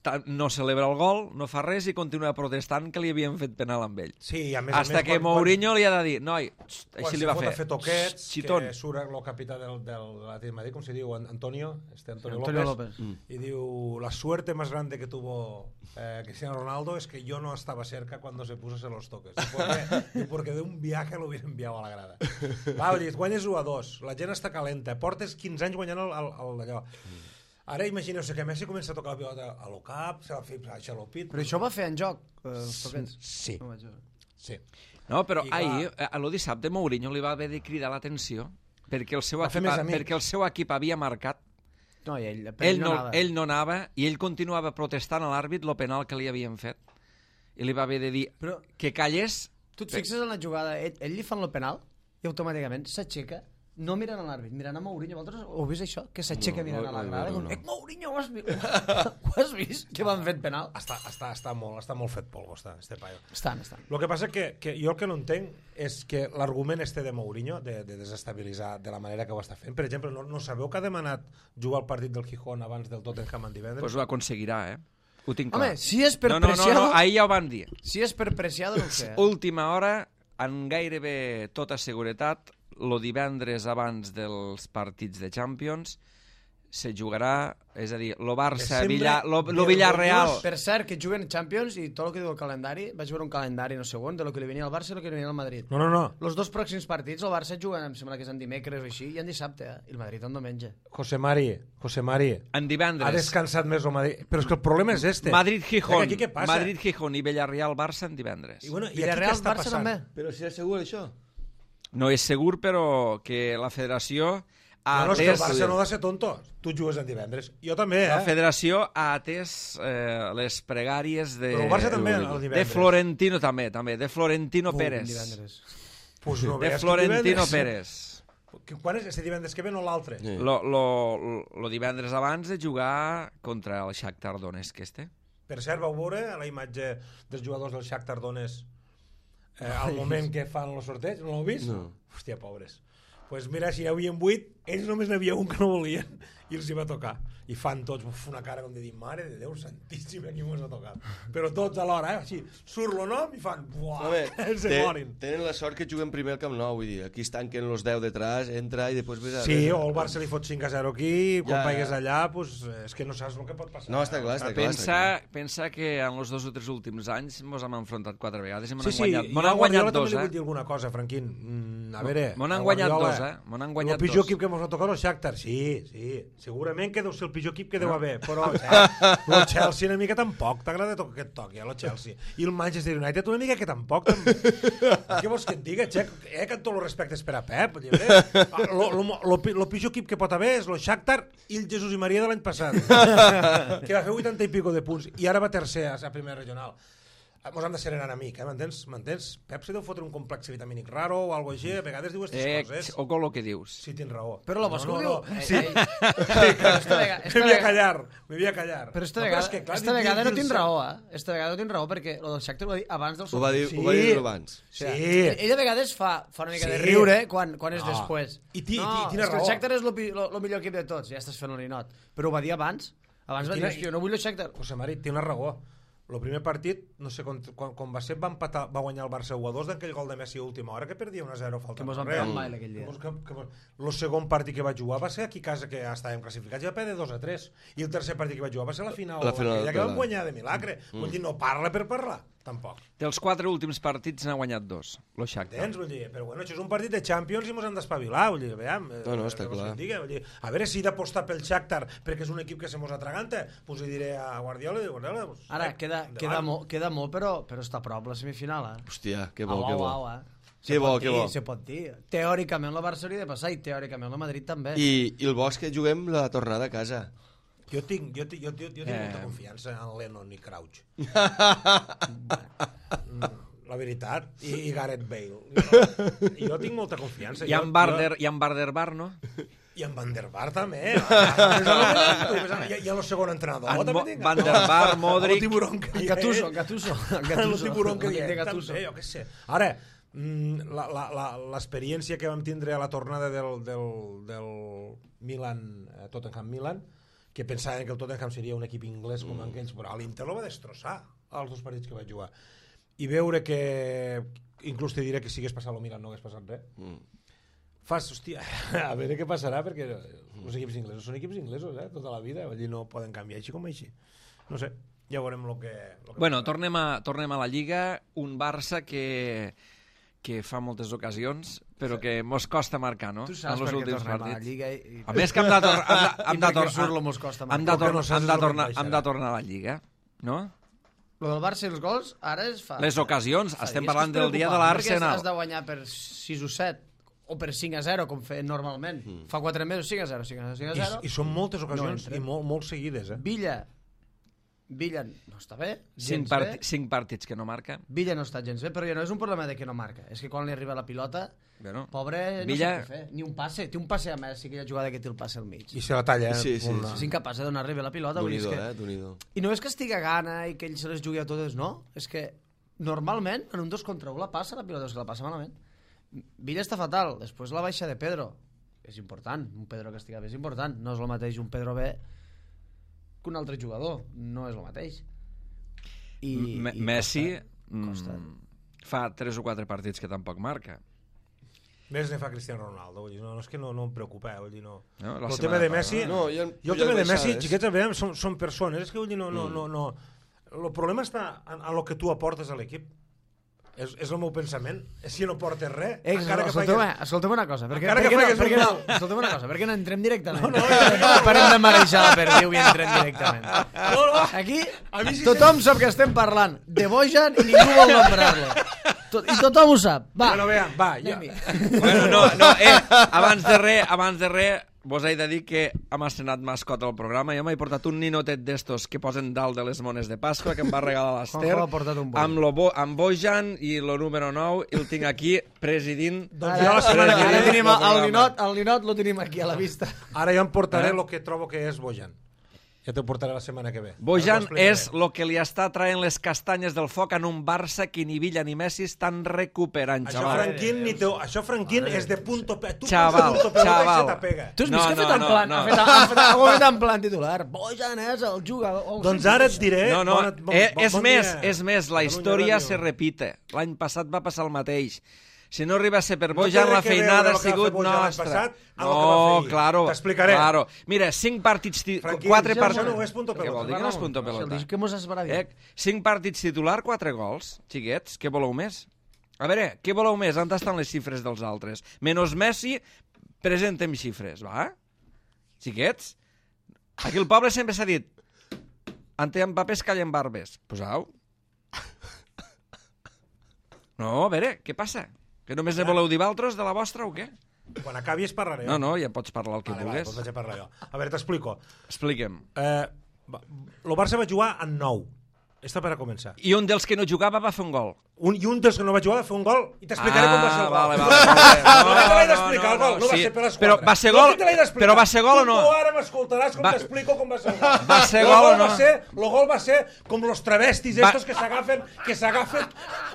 ta- no celebra el gol, no fa res i continua protestant que li havien fet penal amb ell. Sí, i a més Hasta a més, que Mourinho li ha de dir, noi, xt, quan així se li va fot fer. a fer toquets, Xt, xitón. que surt el capità del, del, de l'Atlètic de Madrid, com se diu, An- Antonio, este Antonio, Antonio López, López. y diu, la suerte más grande que tuvo eh, Cristiano Ronaldo es que yo no estaba cerca cuando se puso a hacer los toques. Diu, porque, diu, porque de un viaje lo hubiera enviado a la grada. Va, dius, guanyes u a dos, la gent està calenta, portes quinze anys guanyant el, el, el d'allò. Ara imagineu-se que Messi comença a tocar la pilota a lo cap, se la fa a xalopit. Però això va fer en joc, eh, els toquets. Sí, No vaig veure. sí. No, però I clar- ahir, eh, a lo dissabte, Mourinho li va haver de cridar l'atenció perquè el seu Va fer equip, més amics. perquè el seu equip havia marcat. No, i ell, per Ell no, anava. ell no anava i ell continuava protestant a l'àrbit lo penal que li havien fet. I li va haver de dir Però que callés. tu et fixes en la jugada, ell, ell li fan el penal i automàticament s'aixeca, no mirant a l'àrbit, mirant a Mourinho. Vosaltres ho heu vist això? Que s'aixeca No, mirant no, a la no, grada. no, No, no. Eh, Mourinho, ho has vist? Ho has vist? Que van fet penal? Està, està, està, molt, està molt fet polvo, està, este paio. Estan, estan. El que passa que, que jo el que no entenc és que l'argument este de Mourinho, de, de desestabilitzar de la manera que ho està fent, per exemple, no, no sabeu que ha demanat jugar al partit del Gijón abans del Tottenham en divendres? Pues ho aconseguirà, eh? Ho tinc clar. Home, si és per no, no, Preciado... No, no, ahir ja ho van dir. Si és per Preciado, no ho sé. Última hora, en gairebé tota seguretat, el divendres abans dels partits de Champions, se jugarà, és a dir, lo Barça, Villa, lo, lo Villarreal... Per cert, que juguen Champions i tot el que diu el calendari, vaig veure un calendari, no sé on, de lo que li venia al Barça i lo que li venia al Madrid. No, no, no. Los dos pròxims partits, el Barça juguen, em sembla que és en dimecres o així, i en dissabte, eh? I el Madrid en diumenge. José Mari, José Mari. En divendres. Ha descansat més el Madrid. Però és que el problema és este. Madrid-Gijón. Aquí què passa? Madrid-Gijón i Villarreal-Barça en divendres. I, bueno, i Villarreal-Barça també. Però si és segur això? No és segur, però que la federació ha No, no, és que el atès... Barça no ha de ser tonto. Tu jugues en divendres. Jo també, eh? La federació ha atès eh, les pregàries de... Però el Barça també el divendres. De Florentino també, també, de Florentino Pum, Pérez. divendres. Pues no De veas que Florentino divendres. Pérez. Que- Quan és? Este divendres que ve no l'altre? Sí. Lo, lo, lo divendres abans de jugar contra el Shakhtar Donetsk, este. Per cert, vau veure la imatge dels jugadors del Shakhtar Donetsk eh, al moment que fan el sorteig? No l'heu vist? No. Hòstia, pobres. Pues mira, si hi havia vuit, ells només n'hi havia un que no volien i els hi va tocar. I fan tots uf, una cara com de dir, mare de Déu santíssima, qui mos ha tocat. Però tots alhora, eh? Així, surt el nom i fan, buah, Home, se te, morin. tenen la sort que juguen primer al Camp Nou, vull dir, aquí es tanquen els deu detrás, entra i després ves a... Sí, ves a- o el Barça li fot cinc a zero aquí, quan Ja, paigues ja. allà, pues, és que no saps el que pot passar. No, està clar, està clar. Pensa, pensa que en els dos o tres últims anys ens hem enfrontat quatre vegades i m'han Sí, sí, guanyat, i m'han a guanyat Guardiola dos, també li eh? vull dir alguna cosa, Franquín. Mm, a veure... M'han a guanyat Guardiola, dos, eh? M'han guanyat el pitjor dos. equip que ens va tocar el Shakhtar, sí, sí. Segurament que deu ser el pitjor equip que deu haver, però el Chelsea una mica tampoc, t'agrada que et toqui, eh, el Chelsea. I el Manchester United una mica que tampoc. També. Què vols que et diga, Xec? Eh, que amb tot el respecte per a Pep. El pitjor equip que pot haver és el Shakhtar i el Jesús i Maria de l'any passat, que va fer vuitanta i pico de punts i ara va tercer a la primera regional. Mos hem de ser una mica, eh? m'entens? M'entens? Pep se deu fotre un complex vitamínic raro o alguna cosa així, a vegades diu aquestes Eh, coses. o con lo que dius. Sí, tens raó. Però la vols que ho diu? Eh, Sí. eh, però esta vega- esta Me voy a vega- callar, me voy a callar. Però esta No, vegada, és que, clar, esta dir- vegada dir- no tens dir- raó, eh? Esta vegada no tens raó perquè el del Shakhtar ho va dir abans del Ho va dir, Sí. ho va dir abans. Sí. Ell a vegades fa, fa una mica de Sí. riure quan, quan és No. després. I ti- no, ti- tines és que el raó. Shakhtar és el millor equip de tots, ja estàs fent el ninot. Però ho va dir abans. Abans va dir, Quina- hòstia, no vull el Shakhtar. José Mari, té una raó. El primer partit, no sé quan, quan, quan va ser, va, empatar, va guanyar el Barça u a dos d'aquell gol de Messi a última hora, que perdia un a zero, falta Que mos van res. pegar un baile aquell dia. Que mos- que- que mos- El segon partit que vaig jugar va ser aquí a casa, que ja estàvem classificats, i va perdre dos a tres. I el tercer partit que vaig jugar va ser la final, La final aquella que de la- vam guanyar de milagre. Mm. Vull dir, no parla per parlar, tampoc. Dels quatre últims partits n'ha guanyat dos, lo Shakhtar. Entens? Vull dir, però bueno, això és un partit de Champions i mos hem d'espavilar, vull dir, veiem. eh, No, no, està què vols clar. que et diga? Vull dir, a veure si he d'apostar pel Shakhtar perquè és un equip que se mos atraganta, doncs li diré a Guardiola i Guardiola... Pues, Ara, eh, queda, endavant. queda, molt, queda molt, però, però està a prop la semifinal, eh? Hòstia, que bo, Au, que au, bo. au, eh? Que Se bo, pot que dir, bo. Se pot dir. Teòricament la Barça hauria de passar i teòricament la Madrid també. I, I el bo és que juguem la tornada a casa. Jo tinc, jo, tinc- jo, jo, jo tinc Eh. molta confiança en Lennon i Crouch. La veritat. I, i Gareth Bale. Jo, jo tinc molta confiança. I Jo- en Barder, i en Barder-Bar, no? Jo, I en Van der Bar també. I, i el segon entrenador. En també Mo- tinc. Van der Bar, Modric. El tiburón que En hi ha. Gattuso, en Gattuso. En El Gattuso. tiburón que hi L'amic ha. de Gattuso. També, jo què sé. Ara, mm, la- la- la- l'experiència que vam tindre a la tornada del, del, del Milan, eh, Tottenham-Milan, que pensaven que el Tottenham seria un equip inglès com mm. aquells, però l'Inter el va destrossar els dos partits que vaig jugar. I veure que, inclús te diré que si hagués passat el Milan no hagués passat res, Mm. fas, hòstia, a veure què passarà, perquè els equips inglesos són equips inglesos, eh, tota la vida, vull dir, no poden canviar així com així. No sé, ja veurem el que... Lo que Bueno, passarà. tornem a, tornem a la Lliga, un Barça que, que fa moltes ocasions, però que mos costa marcar, no? Tu saps En els per què últims tornem a la partits. Lliga i... A més que hem de, tor hem de, hem I de, perquè tor surt lo mos costa hem marcar. de, tor Com que no saps hem de, el que tornar, baixarà. hem de tornar a la Lliga, no? Lo del Barça i els gols, ara es fa... Les ocasions, fa estem dies que parlant és del dia de preocupant, perquè l'Arsenal. Has de guanyar per sis o set o per cinc a zero, com feien normalment. Mm. Fa quatre mesos, cinc a zero, cinc a zero, cinc a zero. I, I són moltes ocasions entra. i molt, molt seguides, eh? Villa, Villa no està bé, Cinc, gens part bé. cinc partits que no marca. Villa no està gens bé, però ja no és un problema de que no marca. És que quan li arriba la pilota, Bueno, pobre, no Villa- sap què fer. Ni un passe. Té un passe a Messi, aquella jugada que té el passe al mig. I se la talla, eh? Sí, sí, Molt- sí. És incapaç de donar-li bé la pilota. vull dir, és Donido, que... eh? Donido. I no és que estigui a gana i que ell se les jugui a totes, no. És que normalment en un dos contra un la passa la pilota, és que la passa malament. Villa està fatal, després la baixa de Pedro. És important, un Pedro que estigui bé és important. No és el mateix un Pedro B que un altre jugador. No és el mateix. I, M- i Messi costa, costa. mm, fa tres o quatre partits que tampoc marca. Més ne fa Cristiano Ronaldo, vull dir, no, no és que no, no em preocupa, eh, vull dir, no. No, la el setmana tema de passada. Messi, No, jo- jo el jo tema de el Messi, baixades. xiquets, a veure, són, són persones, és que vull dir, no, no, no, no. El problema està en, en el que tu aportes a l'equip. És, és el meu pensament. Si no portes res, Eh, encara que escolteu, faigues... escolteu una cosa. Perquè, Encara que perquè, faigues no, perquè un no, gol. escolteu una cosa, perquè no entrem directament. No, no, no, no. Parem de marejar la perdiu i entrem directament. No, no. Aquí A mi sí tothom sap que estem parlant de Bojan i ningú vol nombrar-lo. Tot, I tothom ho sap. Va, Bueno, vean, va, jo... anem-hi. Bueno, no, no, eh, abans de res, abans de res, vos he de dir que hem estrenat mascota al programa. Jo m'he portat un ninotet d'estos que posen dalt de les mones de Pasqua, que em va regalar l'Ester, Juanjo ha portat un boi. amb, lo bo, amb Bojan i lo número nou, i el tinc aquí presidint. Doncs jo la setmana que Ara ve... tenim el, el ninot, el ninot lo tenim aquí a la vista. Ara jo em portaré Eh? el que trobo que és Bojan. Ja t'ho portaré la setmana que ve. Bojan Ara t'ho explicaré. és el que li està traient les castanyes del foc en un Barça que ni Villa ni Messi estan recuperant, Això, xaval. Franquín, ni teu... Això, Franquín, és de punto... Pe... Tu Xaval, punto pelota xaval. i se t'apega. Tu has No, vist que ha no, fet en no, plan, no. ha fet, ha fet, ha fet en plan titular. Bojan és el jugador. Oh, Doncs sí, ara sí. et diré... No, no, bona- bon- eh, bon- és bon més, dia. és més, la Catalunya història Ràdio. se repite. L'any passat va passar el mateix. Si no arriba a ser per No té Bojan, res la que veure feinada el ha que va fer sigut Bojan l'any nostra. passat amb el que va No, fer ahir. claro. T'explicaré. Claro. Mira, cinc partits... Ti... Franquí, quatre això partits... no és punto Què pelota. vol dir que no és punto Si el pelota? dic que mos has parat. Eh, cinc partits titular, quatre gols. Xiquets, què voleu més? A veure, què voleu més? On estan les xifres dels altres? Menos Messi, presentem xifres, va? Xiquets? Aquí el poble sempre s'ha dit ante en papers callen barbes. Posau. No, a veure, què passa? Que només ne voleu dir valtros de la vostra o què? Quan acabi es parlaré. No, no, ja pots parlar el que Vale, vale, vulguis. doncs vaig a parlar jo. A veure, t'explico. Expliquem. Eh, va- el Barça va jugar en nou. Esto per a començar. I un dels que no jugava va fer un gol. Un, I un dels que no va jugar va fer un gol i t'explicaré com va ser el gol. vale, vale, vale. No, no te l'he d'explicar el gol, no va sí. ser per les Però quatre. va ser No gol, que te l'he d'explicar. però va ser gol o no? Tu ara m'escoltaràs com Va- t'explico com va ser el gol. Va ser El gol o no? Va ser, el gol va ser com los travestis Va- estos que s'agafen que s'agafen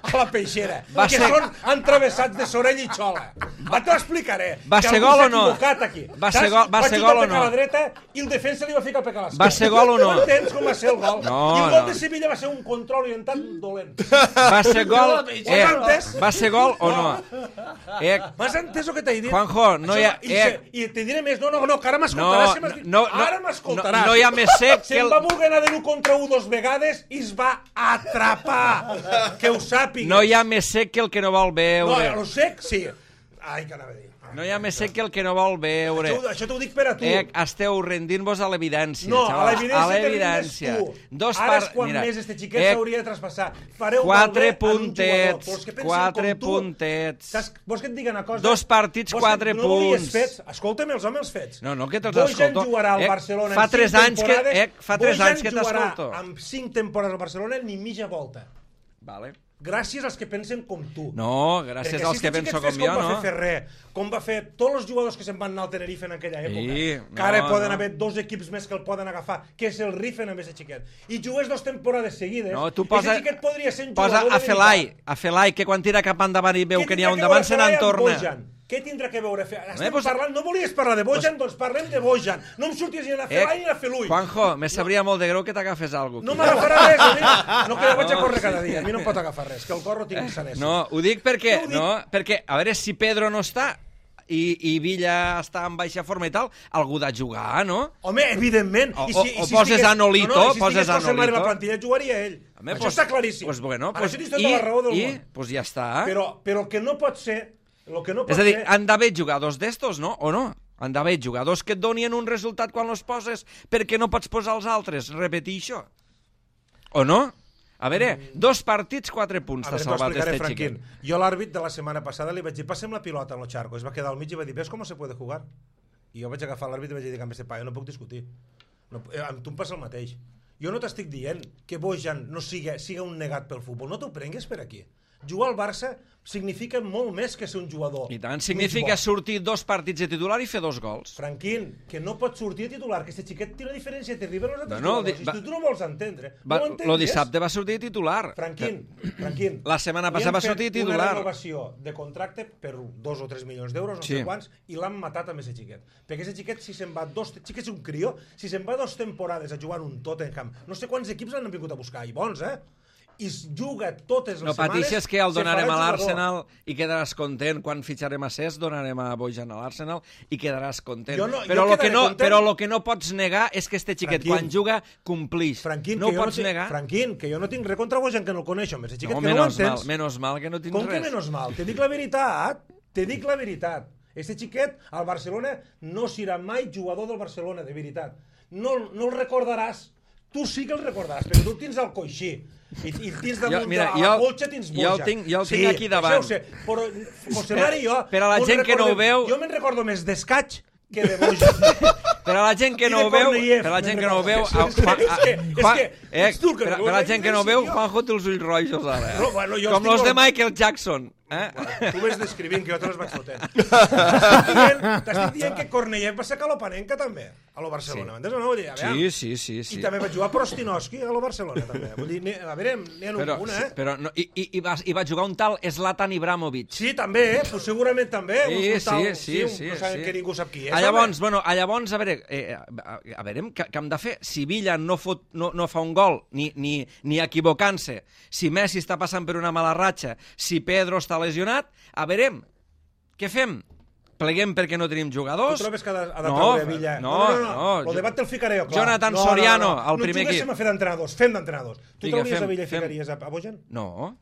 a la peixera. Va que ser- són entravessats de sorell i xola. Va, t'ho explicaré. Va que ser algú gol s'ha o no? equivocat aquí. Va ser Saps? gol- va ser xutar gol o pec a no? la dreta i el defensa li va ficar pec a l'esquerra. Va ser gol o no? Tu entens com va ser el gol? No, I el gol no. de Sevilla va ser un control orientat dolent. Va ser gol... Ho has entès? va ser gol o no? Eh, M'has entès el que t'he dit? Juanjo, no hi ha- Això- I, eh. se, I te diré més, no, no, no, que ara no, m'escoltaràs. si m'has dit- no, no, ara m'escoltaràs. no, no hi ha més sec que Se'n el... va voler anar de l'u contra u dos vegades i es va atrapar. Que ho sàpigues. No hi ha més sec que el que no vol No, veure. lo sec, sí. Ai, que anava a dir. No hi ha més sec que el que no vol veure. Això, això t'ho dic per a tu. Eh, esteu rendint-vos a l'evidència, No, a xavals, l'evidència a que l'evidència. rindes tu. Dos Ara és par- quan mira, més este xiquet eh, s'hauria de traspassar. Fareu Quatre malbé en un jugador. puntets, Vols que pensin quatre com tu? puntets. Saps? Vols que et digui una cosa? Dos partits, Vols quatre que no volies punts. Fets? Escolta'm els homes fets. No, no, que te'ls Bojan escolto. jugarà al Eh, Barcelona fa en tres cinc anys que- temporades. eh, fa tres Bojan anys que jugarà t'escolto. amb cinc temporades al Barcelona ni mitja volta. Vale. Gràcies als que pensen com tu. No, gràcies Perquè als si que este penso xiquet com fes jo, com va no? fer Ferrer, com va fer tots els jugadors que se'n van anar al Tenerife en aquella època, Sí, que ara no, poden no. haver dos equips més que el poden agafar, que és el Rifen amb aquest xiquet. I jugués dos temporades seguides. No, tu Ese posa, xiquet podria ser un posa jugador a de Felai, veritat. a Felai, que quan tira cap endavant i veu Què que n'hi ha tindrà un que davant veure se Felai amb n'entorna. Bojan? Què tindrà que veure Felai? Estem Eh, pues- parlant, no volies parlar de Bojan, doncs parlem de Bojan. No em surtis ni a Felai ni a Felui. Juanjo, me sabria molt de greu que t'agafes alguna No cosa. m'agafarà res, ho dic. No, que jo vaig a córrer cada dia. A mi no em pot agafar res, que el cor ho tinc sanés. No, ho dic perquè, No ho dic. no, perquè, a veure, si Pedro no està i, i Villa està en baixa forma i tal, algú de jugar, no? Home, evidentment. O- I o- o poses estigués- a Nolito, no, no, i si poses estigués a José Mari Nolito. la plantilla, jugaria ell. Home, Això pues- està claríssim. Pues bueno, Ara pues, això tens tota i, la raó del i, món. pues ja està. Però, però el que no pot ser... El que no pot És a dir, ser... han d'haver jugadors d'estos, no? O no? Han d'haver jugadors que et donien un resultat quan els poses perquè no pots posar els altres. Repetir això. O no? A veure, dos partits, quatre punts A t'ha veure, t'ho salvat explicaré, este Franquín. xiquet. Jo a l'àrbit de la setmana passada li vaig dir, passem la pilota en el charco. Es va quedar al mig i va dir, ves com se puede jugar? I jo vaig agafar l'àrbit i vaig dir, amb este paio no puc discutir. No, eh, amb tu em passa el mateix. Jo no t'estic dient que Bojan no siga, siga un negat pel futbol. No t'ho prengues per aquí. Jugar al Barça significa molt més que ser un jugador. I tant, significa sortir dos partits de titular i fer dos gols. Franquín, que no pot sortir de titular, que este xiquet té una diferència terrible amb els altres No, no, jugadors. di- I va- si tu no vols entendre, Va, no ho lo entengues. dissabte va sortir de titular. Franquín, Franquín. La setmana passada va sortir Li han fet titular. una renovació de contracte per dos o tres milions d'euros, no Sí. sé quants, i l'han matat amb aquest xiquet. Perquè aquest xiquet, si se'n va dos... Xiquet és un crió, si se'n va dos temporades a jugar en un Tottenham, no sé quants equips l'han vingut a buscar, i bons, eh? I es juga totes les No setmanes... pateixes que el se donarem farà a jugador. l'Arsenal i quedaràs content. Quan fitxarem a Cesc, donarem a Bojan a l'Arsenal i quedaràs content. Jo no- però, jo lo que quedaré no, content. però lo que no pots negar és que este xiquet, Franquín. quan juga, complix. Franquín, no que ho jo pots no tinc, negar. Franquín, que jo no tinc res contra Bojan, que no el coneixo, més el xiquet No, que no ho menos mal, entens. menos mal que no tens Com res. que menos mal? Te dic la veritat, te dic la veritat. Este xiquet al Barcelona no serà mai jugador del Barcelona, de veritat. No, no el recordaràs. Tu sí que el recordaràs, perquè tu el tens al coixí. I, i el tens damunt Jo- mira, de jo la el- colxa, tens jo boja. el tinc- jo el sí, tinc aquí davant. Això ho sé, però José Mari i jo... Per a la no gent que no ho recordem- veu- Jo me'n recordo més d'escaig que de boja. Per a la gent que I no de ho veu, Korneyev, per a la gent me'n que no ho veu, recordo. a- Juan- És que- és Juan- que eh, ets tu que per, no per a la veus, gent que no ho sí, veu, jo. Juanjo té els ulls rojos ara. Eh? No, bueno, jo Com estic los de normal. Michael Jackson. Eh? Tu ves descrivint, que jo te les vaig fotent. T'estic dient, t'estic dient que Korneyev va ser calopanenca també, a lo Barcelona. M'entens o no? Vull dir, a veure, Sí, sí, sí. sí. I també va jugar Prostinoski a lo Barcelona, també. Vull dir, n'hi- a veure, n'hi ha Però, una, eh? però no, i, i, i, va, i va jugar un tal Zlatan Ibrahimovic. Sí, també, eh? Pues segurament també. Sí, un tal, sí, sí, un- sí, No sabem sí. que ningú sap qui és. A llavors, bueno, a llavors, a veure, eh, a, a veure què, què hem de fer? Si Villa no, fot, no, no fa un gol, ni, ni, ni equivocant-se, si Messi està passant per una mala ratxa, si Pedro està lesionat, a veure, què fem? Pleguem perquè no tenim Tu jugadors? trobes que ha de, ha de No, treure Villa? no, no, no, no. no. Lo debat te'l ficaré jo, clar. Jonathan no, no, Soriano, no, no. al primer No juguéssim equip. a fer d'entrenadors, fem d'entrenadors. Tu Vinga, trauries fem, a Villa i fem. ficaries a, a Bojan? No.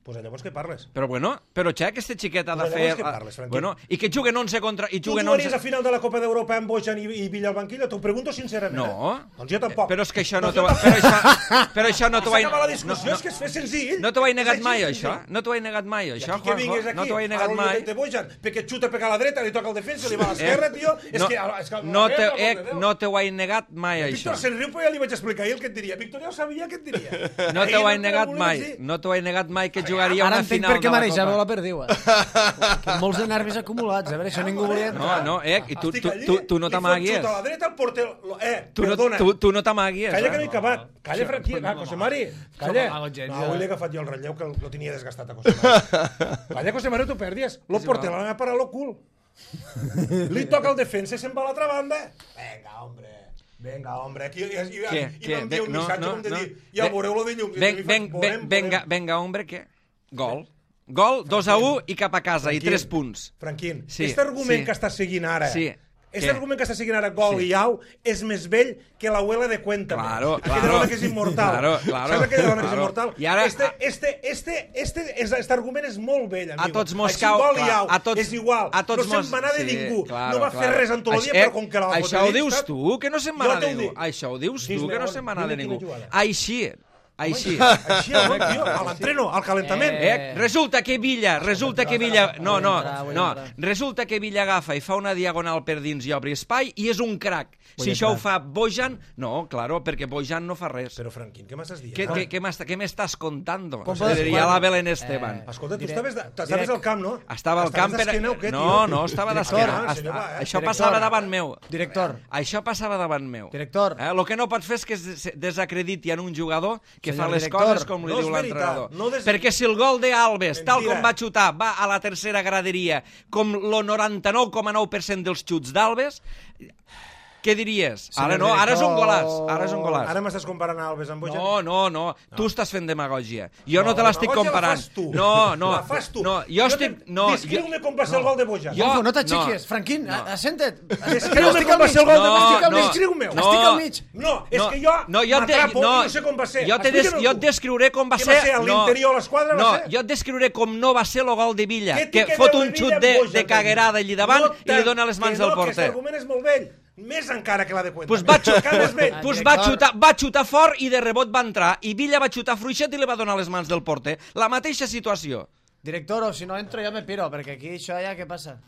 Pues llavors què parles? Però bueno, però Xec, este xiquet ha de Pues fer... llavors què parles, Franquí? Bueno, i que juguen onze contra... I Tu juguen jugaries onze... a final de la Copa d'Europa amb Bojan i, i Villa al banquillo? T'ho pregunto sincerament. No. Eh? Doncs jo tampoc. Però és que això no Doncs t'ho... jo Però això, però això no t'ho vaig... S'acaba la discussió, no, és que és fer senzill. no t'ho he És negat així, mai, senzill. això. No t'ho he negat mai, I això, aquí que vingues Juanjo. aquí, No t'ho he a negat lo mai. de Bojan, perquè xuta per a la dreta, li toca el defensa, li va a l'esquerra, tio. És no, que... És que no, te, a veure, eh, per Déu. no t'ho he negat mai, això. Víctor se'n riu, però ja li vaig explicar ahir el que et diria. Víctor ja ho sabia què et diria. No Ahir t'ho he te negat volies mai. dir. No t'ho he negat mai que jugaria Ara una entenc final per què de la marejava Copa. la perdiu. Que molts de nervis acumulats. A veure, això ningú volia No, entrar. no, eh, i tu, Estic tu, allí, tu, tu no li fot t'amaguis. xut a la dreta, el porter... lo- Eh, Tu no, perdona. tu, tu no t'amaguis. Calla que no Eh? he acabat. Calla, Franqui. Va, José Mari. Calla. m'amago gens, No, ja. avui l'he agafat jo el relleu, que lo tenia desgastat a José Mari. Calla, José Mari, tu perdies. Lo És porter igual. l'ha parat lo cul. Li toca el defensa i se'n va a l'altra banda. Venga, hombre. Venga, hombre. Aquí, i, i, Què? i Què? m'envia un No, missatge no, com de no. dir, ja veureu lo de llum. Ven, ven, ven, venga, venga, hombre, què? Gol. Gol, dos a u i cap a casa, i Franquín. tres punts. Franquín, Sí, aquest argument sí. que estàs seguint ara, Sí. aquest Què? argument que estàs seguint ara, gol Sí. i au, és més vell que l'abuela de Cuéntame. Claro, Aquella claro. dona que és immortal. Claro, claro, Saps aquella dona que és claro. immortal? I ara- Este, este, este, este, este, este argument és molt vell, amigo. A tots mos cau... Així, gol i clar, au, a tots, és igual. a tots no mos... se'n va anar de sí, ningú. claro, no va fer claro. res en tot el dia, Això- però com que la va Això fotre ho dius dins, tu, que no se'n va Jo anar de t'ho ningú. dic. Això ho dius tu, Dis-me, que no on- se'n va anar de dime ningú. quina jugada. Així, així. Així, home, tio, a l'entreno, al calentament. Eh, resulta que Villa, resulta que Villa... No, no, Vull entrar, vull no. entrar. Resulta que Villa agafa i fa una diagonal per dins i obre espai i és un crac. Vull Si això ho entrar. fa Bojan... No, claro, perquè Bojan no fa res. Però, Franquín, què m'estàs dient? Què, Ah. què, què m'està- què m'estàs contando? Com Se podes- diria quan- la Belén Esteban. Eh, Escolta, tu Direct. estaves, de- estaves Direct. al camp, no? Estava al camp per... Estaves d'esquena o què, tio? No, no, estava Director, d'esquena. ah, senyor, va, eh? Això Director. passava davant meu. Director. Això passava davant meu. Director. Eh? El que no pots fer és que es des- desacrediti en un jugador que Senyor fa les director, coses com li no és diu veritat, l'entrenador. no des- Perquè si el gol d'Alves, tal Mentira. com va xutar, va a la tercera graderia, com el noranta-nou coma nou per cent dels xuts d'Alves, què diries? Senyor Ara no, ara és un director. golàs. Ara és un golàs. Ara m'estàs comparant a Alves amb Bojan? No, no, no, tu estàs fent demagògia. Jo no, No, te l'estic demagògia la comparant. fas tu. No, no. La fas tu. No, jo estic... te- No, Descriu-me com va ser el gol de Bojan. Jo- Juanjo, no t'aixequies. no. Franquín, No. assenta't. Descriu-me com va ser el gol de No, Bojan. no. Descriu-me-ho. No. Estic al mig. No, és No, que jo no, jo et de- m'atrapo no, i no sé com va ser. Jo, te des, Explica-me'l jo et tu. descriuré com va Què ser... va ser, a l'interior de l'esquadra, va No, ser? jo et descriuré com no va ser el gol de Villa, Què té que que fot veure un Villa xut amb de, Bojan, de caguerada allí davant No i li tant, dona les mans que al no, que porter. aquest argument és molt vell. Més encara que la de Cuenta. Pues va, xut, Encara més vell. pues va, Director. xutar, va xutar fort i de rebot va entrar i Villa va xutar fluixet i li va donar les mans del porter. La mateixa situació. Director, o si no entro jo me piro, perquè aquí això ja què passa?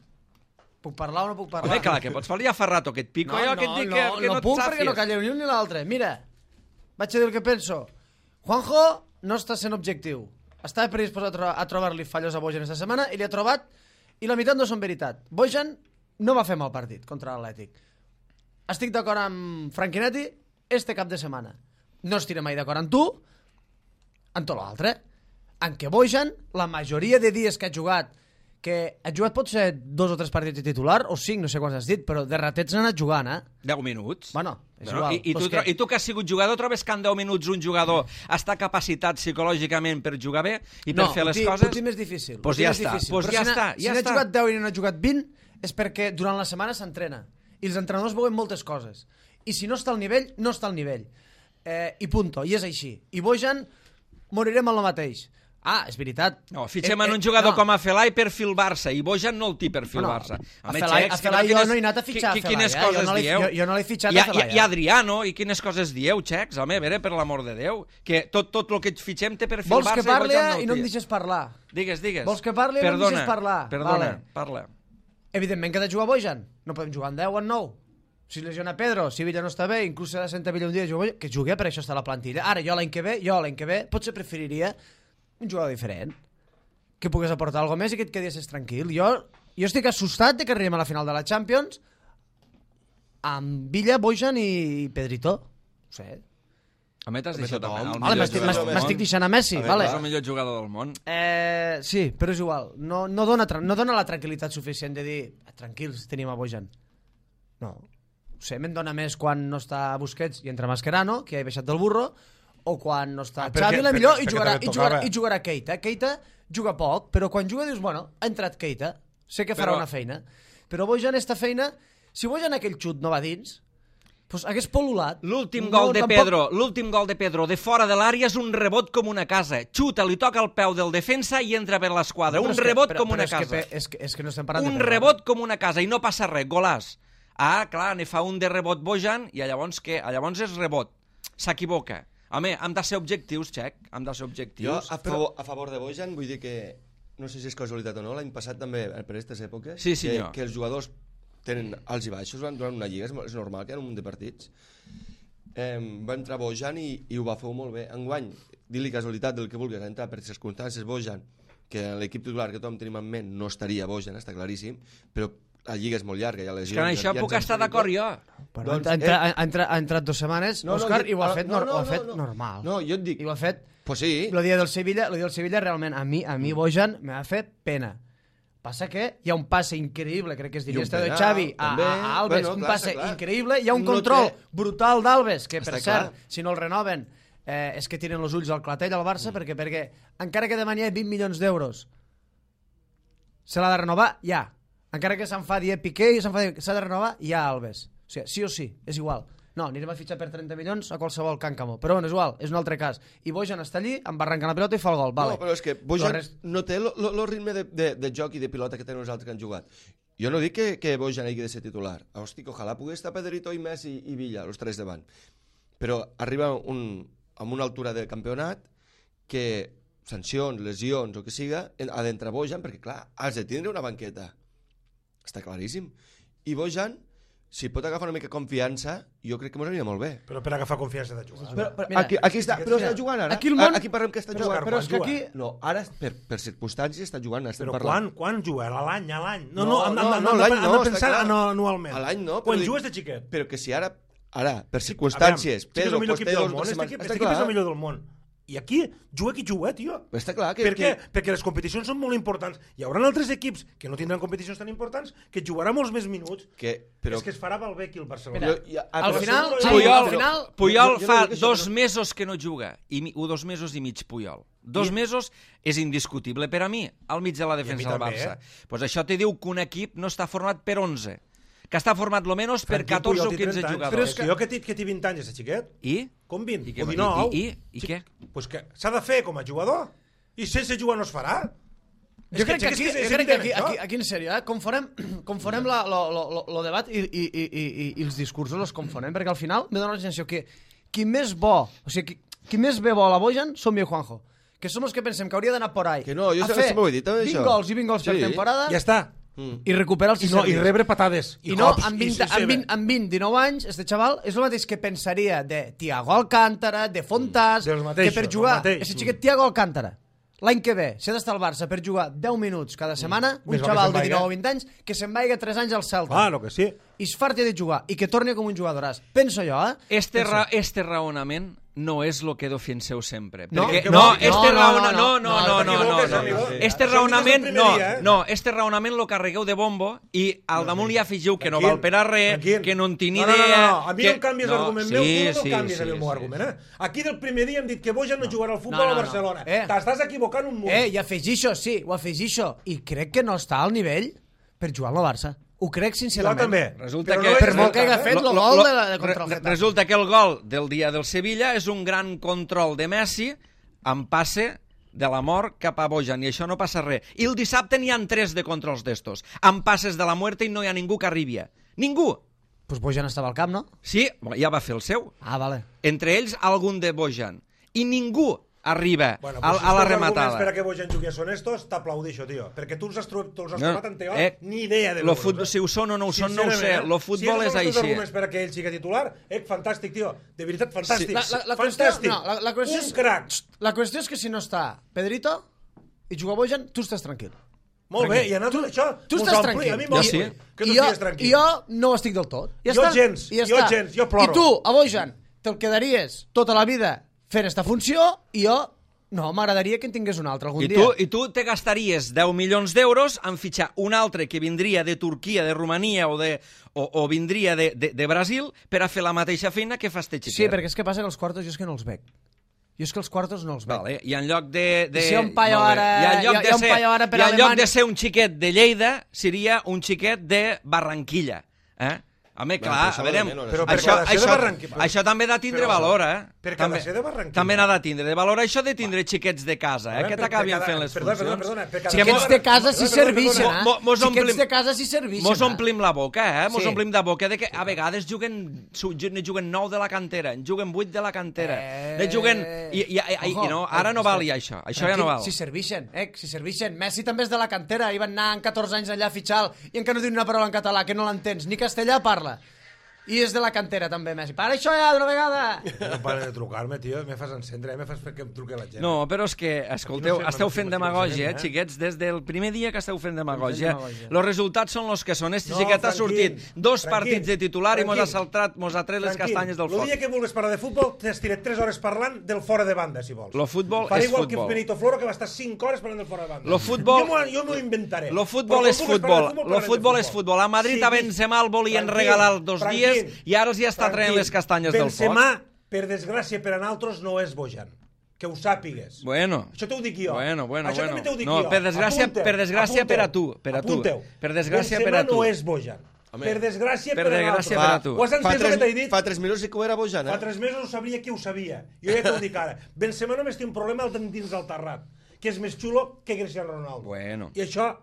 Puc parlar o no puc parlar? Home, clar, que pots fer ja fa rato que et pico No, jo, no, que et dic no, que, que no, no, puc et perquè no sàfies. calleu ni un ni l'altre. Mira, vaig a dir el que penso. Juanjo no està sent objectiu. estava predisposat a, tro a trobar-li fallos a Bojan esta setmana i li ha trobat, i la meitat no són veritat. Bojan no va fer mal partit contra l'Atlètic. Estic d'acord amb Franchinetti este cap de setmana. No estiré mai d'acord amb tu en tot l'altre. En què Bojan, la majoria de dies que ha jugat, que ha jugat pot ser dos o tres partits de titular, o cinc, no sé quants has dit, però de ratets n'ha anat jugant, eh? deu minuts. Bueno, és Bueno, igual. i, i, tu, que... I tu que has sigut jugador, trobes que en deu minuts un jugador està capacitat psicològicament per jugar bé i per no, fer les ti, coses? No, ho més difícil. Pues ja està, pues ja si està, Si ja n'ha està. jugat deu i n'ha jugat vint, és perquè durant la setmana s'entrena. I els entrenadors veuen moltes coses. I si no està al nivell, no està al nivell. Eh, I punto, i és així. I Bojan, morirem amb el mateix. Ah, és veritat. No, fitxem Eh, en eh, un jugador no. com a Felai per fil Barça i Bojan no el té per fil Bueno, Barça. a Home, Felai- xecs, a Felai que jo no he anat a fitxar qui- a Quines Felai, eh? Jo coses no l'he- dieu? jo- jo no l'he fitxat I, a Felai, I, I eh? Adriano, i quines coses dieu, xecs? Home, a veure, per l'amor de Déu. Que tot, tot el que et fitxem té per fil Vols Barça que parli i Bojan no i el no em té. deixes parlar? Digues, digues. Vols que parli i no em Perdona, deixes parlar? Perdona, Vale. parla. Evidentment que ha de jugar Bojan. No podem jugar en deu o en nou. Si es lesiona Pedro, si Villa no està bé, inclús si ha de sentar Villa un dia, juga, que jugui, per això està a la plantilla. Ara, jo l'any que ve, jo l'any que ve, potser preferiria un jugador diferent, que pogués aportar alguna més i que et quedessis tranquil. Jo, jo estic assustat de que arribem a la final de la Champions amb Villa, Bojan i Pedrito. No sé. A mi t'has deixat tothom. el Vale, Vale, millor m'estic jugador del món. m'estic deixant a Messi, A veure, vale. És el millor jugador del món. Eh, sí, però és igual. No, no, dona, tra- no dona la tranquil·litat suficient de dir tranquils, tenim a Bojan. No. No sé, me'n dona més quan no està Busquets i entra Mascherano, que ja he baixat del burro, o quan no està Ah, perquè- Xavi, la millor, perquè- i perquè jugarà, també i jugarà, tocava. i jugarà Keita. Keita juga poc, però quan juga dius, bueno, ha entrat Keita, sé que farà Però- una feina. Però Bojan, esta feina, si Bojan aquell xut no va dins, pues hagués pol·lulat. L'últim No, gol de tampoc- Pedro, l'últim gol de Pedro de fora de l'àrea és un rebot com una casa. Xuta, li toca el peu del defensa i entra per l'esquadra. Però Un és que- rebot però- com però una és que casa. pe- És que, és que no estem parlant Un de Pedro. rebot com una casa i no passa res, golàs. Ah, clar, ne fa un de rebot Bojan i llavors què? Llavors és rebot. S'equivoca. Home, hem de ser objectius, Xec, hem de ser Jo, objectius. a favor, a favor de Bojan, vull dir que, no sé si és casualitat o no, l'any passat també, per aquestes èpoques, Sí, que, senyor. que els jugadors tenen alts i baixos durant una lliga, és, és normal que hi ha un munt de partits. Eh, va entrar Bojan i, i ho va fer molt bé. Enguany, dir-li casualitat del que vulguis, ha entrat per circumstàncies Bojan, que en l'equip titular que tothom tenim en ment no estaria Bojan, està claríssim, però la lliga és molt llarga, hi ha És lesions... que en això ja puc ens estar hem dit d'acord tot. jo. Però Doncs, ha, entra, eh, ha, entra, ha entrat dues setmanes, No, no, Òscar, dic- i ho ha ah, fet, no, no, no, ho ha no, fet no. normal. No, jo et dic... I ho ha fet... Pues sí. Lo dia del Sevilla, lo dia del Sevilla realment a mi, a mi Bojan me va fer pena. Passa que hi ha un passe increïble, crec que és I un d'Iniesta de penal, Xavi a, també. a, a Alves, Bueno, un clar, passe està clar. increïble, hi ha un No control té- brutal d'Alves, que per Està cert, clar. si no el renoven, eh, és que tiren els ulls al clatell al Barça, Mm. perquè, perquè encara que demani vint milions d'euros, se l'ha de renovar ja. Encara que s'enfadi eh, Piqué i s'enfadi, s'ha de renovar ja Alves. O sigui, sí o sí, és igual. No, anirem a fitxar per trenta milions a qualsevol Can Camó. Però bueno, és igual, és un altre cas. I Bojan està allí, em va arrencar la pilota i fa el gol. Vale. No, però és que Bojan Però res- no té el ritme de, de, de joc i de pilota que tenen els altres que han jugat. Jo no dic que, que Bojan hagi de ser titular. Hosti, que ojalà pogués estar Pedrito i Messi i Villa, els tres davant. Però arriba un, amb una altura de campionat que sancions, lesions o que siga, ha d'entrar Bojan perquè, clar, has de tindre una banqueta. Està claríssim. I Bojan, si pot agafar una mica confiança, jo crec que m'ho aniria molt bé. Però per agafar confiança de jugar. Però, però Mira, aquí, aquí està, però mira, està jugant ara. aquí el món- Aquí parlem que està Però, jugant. Però és que aquí... No, ara per, per circumstàncies està jugant, estem Però parlant. quan, quan juga? A l'any, a l'any? No, No, no, hem, no, hem, no, hem, l'any hem no, de està pensar clar. no, anualment. A l'any no, però Quan dic- jugues de xiquet. Però que si ara, ara per circumstàncies, Aviam, sí que és Pedro, el millor pues, equip té del dos, món. dos Este setmanes. equip, Està este equip és clar. el millor del món. I aquí juga qui juga, tio. Està clar que... Per què? que... Perquè les competicions són molt importants. Hi haurà altres equips que no tindran competicions tan importants que jugarà molts més minuts. que però... És que es farà malbé aquí el Barcelona. Mira, Jo- ja- ah, al però- final, Puyol- Xavi, Puyol, al final... Puyol jo- jo fa no dic això, dos però- mesos que no juga, i mi, o dos mesos i mig Puyol. Dos mesos és indiscutible per a mi, al mig de la defensa del també, Barça. eh? Pues això te diu que un equip no està format per onze, que està format lo menos per Franqui catorze Puyol o té quinze trenta anys. jugadors. Però és que jo que, tinc, que tinc vint anys, de xiquet, I? com vint? I què- o dinou. i- i- i Sí, què? Pues que s'ha de fer com a jugador. I sense jugar no es farà. És Jo crec que és aquí, és jo crec que aquí, evident, aquí, això. aquí en sèrio, eh? confonem, confonem la, lo, lo, lo, lo debat i, i, i, i, i els discursos els confonem, perquè al final me dona la sensació que qui més bo, o sigui, qui, qui més bé vol a Bojan som jo i Juanjo, que som els que pensem que hauria d'anar por ahí Que no, jo a sempre fer ho he dit, també, vint això. gols i vint gols per Sí. temporada Ja està. Mm. i recuperar els I, no, I serveis. rebre patades. I, I no, cops, amb i vint, sense amb, vint, amb vint, dinou anys, este xaval és el mateix que pensaria de Thiago Alcántara, de Fontàs, Dels mateixos, que per del jugar, mateix. aquest xiquet Thiago Alcántara. l'any que ve, si ha d'estar al Barça per jugar deu minuts cada setmana, un Més val que xaval se'n de vaiga. dinou o vint anys, que se'n vaiga tres anys al Celta. Ah, lo que sí. I es farti de jugar, i que torni com un jugadoràs. Penso jo, eh? Este, Penso. ra este raonament no és lo que defenseu sempre. No, Perquè, que no, vol- este no, no, raona, no, no, no, no, no, no, t'equivoques, no, amigo. Este Això raonament, dius el no, primer dia, eh? no, este raonament lo carregueu de bombo i al damunt li afegiu que no val per a res, Tranquil. que no en tinc no, no, idea... No, no, a mi que... no em canvies l'argument meu, tu no sí, canvies sí, el meu sí, argument, sí. eh? Aquí del primer dia hem dit que Bojan no jugarà al futbol No, no, a no. Barcelona. Eh. T'estàs equivocant un munt. Eh, i afegixo, sí, ho afegixo. I crec que no està al nivell per jugar al Barça. Ho crec Jo sincerament. també. Resulta Però que... no és Per molt que hagi veritat, fet eh? lo gol de la- de contra el re- Getafe. Resulta que el gol del dia del Sevilla és un gran control de Messi amb passe de la mort cap a Bojan, i això no passa res. I el dissabte n'hi ha tres de controls d'estos, amb passes de la muerte i no hi ha ningú que arribi. Ningú! Pues Bojan estava al camp, no? Sí, ja va fer el seu. Ah, vale. Entre ells, algun de Bojan. I ningú arriba Bueno, a, pues si a la els arguments rematada. per a que Bojan jugui són estos, t'aplaudixo, tio. Perquè tu els has, trobat, tu els has No, trobat en teoria, eh, ni idea de lo l'Euro, futbol, eh? si ho són o no ho són, no ho sé. Sincerament, Lo eh? futbol si és Si així. els arguments per a que ell sigui titular, eh, fantàstic, tio. De veritat, fantàstic. La, la, la, qüestió, fantàstic. no, la, la, qüestió Un és, crac. la qüestió és que si no està Pedrito i juga Bojan, tu estàs tranquil. Molt bé, i a nosaltres això Tu mos estàs ompli. tranquil. A mi Jo m'ompli. sí. Que tu I jo, estigues tranquil. I jo no ho estic del tot. Ja Jo està. gens, I ja jo està. gens, jo ploro. I tu, a Bojan, te'l quedaries tota la vida fent esta funció, i jo no, m'agradaria que en tingués un altre algun I dia. tu, I tu te gastaries deu milions d'euros en fitxar un altre que vindria de Turquia, de Romania o, de, o, o vindria de, de, de Brasil per a fer la mateixa feina que fa este xiquet. Sí, perquè és que passa que els quartos jo és que no els veig. Jo és que els quartos no els veig. Vale. I en lloc de... de I si hi ha un paio molt bé. ara- I en lloc hi ha- de hi ha un ser, paio ara per i en lloc Alemanya- de ser un xiquet de Lleida, seria un xiquet de Barranquilla. Eh? Home, Bueno, clar, però això a veure, va de menys, Però això. per això, cada ser de això, Barranquilla. això també ha de tindre Però- valor, eh? per cada també, ser de Barranquilla. també n'ha de tindre de valor això de tindre xiquets de casa, eh? A veure, Que per- t'acabin per cada- fent les perdona, funcions. perdona, perdona, per cada Sí, que ser mos- Xiquets de casa si Perdona, perdona, serveixen, perdona. eh? Mo- mos Xiquets omplim- de casa si serveixen, Mos eh? omplim la boca, eh? Mos Sí. omplim de boca de que a vegades juguen, su- ne juguen nou de la cantera, en juguen vuit de la cantera, Eh. ne juguen... I, i, i, i, Ojo. no, ara no val ja això, això ja no val. Si serveixen, eh? Si serveixen. Messi també és de la cantera, i van anar amb catorze anys allà a fitxar i encara no diu una paraula en català, que no l'entens, ni castellà parla. I és de la cantera també, Messi. Para això ja d'una vegada! No paren de trucar-me, tio. Me fas encendre, eh? Me fas fer que em truqui la gent. No, però és que, escolteu, Aquí no sé, esteu no sé, fent no sé, demagògia, eh, eh? xiquets, des del primer dia que esteu fent demagògia. demagògia. Els resultats són els que són. Este No, xiquet ha tranquil, sortit dos tranquil, partits de titular i mos ha tranquil. saltat, mos ha tret les Tranquil. castanyes del El foc. dia que vulguis parlar de futbol, t'estiré tres hores parlant del fora de banda, si vols. Lo futbol Faré és igual futbol. que Benito Floro, que va estar cinc hores parlant del fora de banda. Lo futbol- Jo m'ho- Jo m'ho inventaré. Lo futbol Però és quan vulguis parlar futbol. de Lo parlem de futbol és futbol. A Madrid a Benzema el volien tranquil, regalar dos tranquil, dies i ara els hi està traient tranquil. les castanyes del foc. Benzema, per desgràcia per a nosaltres, no és Bojan. Que ho sàpigues. Bueno. Això t'ho dic jo. Bueno, bueno, Això bueno. també t'ho dic No, jo. per desgràcia- Apunteu, per desgràcia apunteu, per a tu, per a tu. apunteu. Per desgràcia Benzema per a tu. no és Bojan. Home. Per desgràcia Per per, a desgràcia nosaltres. per a tu. Ho has Fa entès el que tres, t'he dit? fa tres minuts sí que ho era Bojan, eh? Fa tres mesos ho sabria qui ho sabia. Jo ja t'ho dic ara. Benzema només té un problema al dins del terrat, que és més xulo que Cristiano Ronaldo. Bueno. I això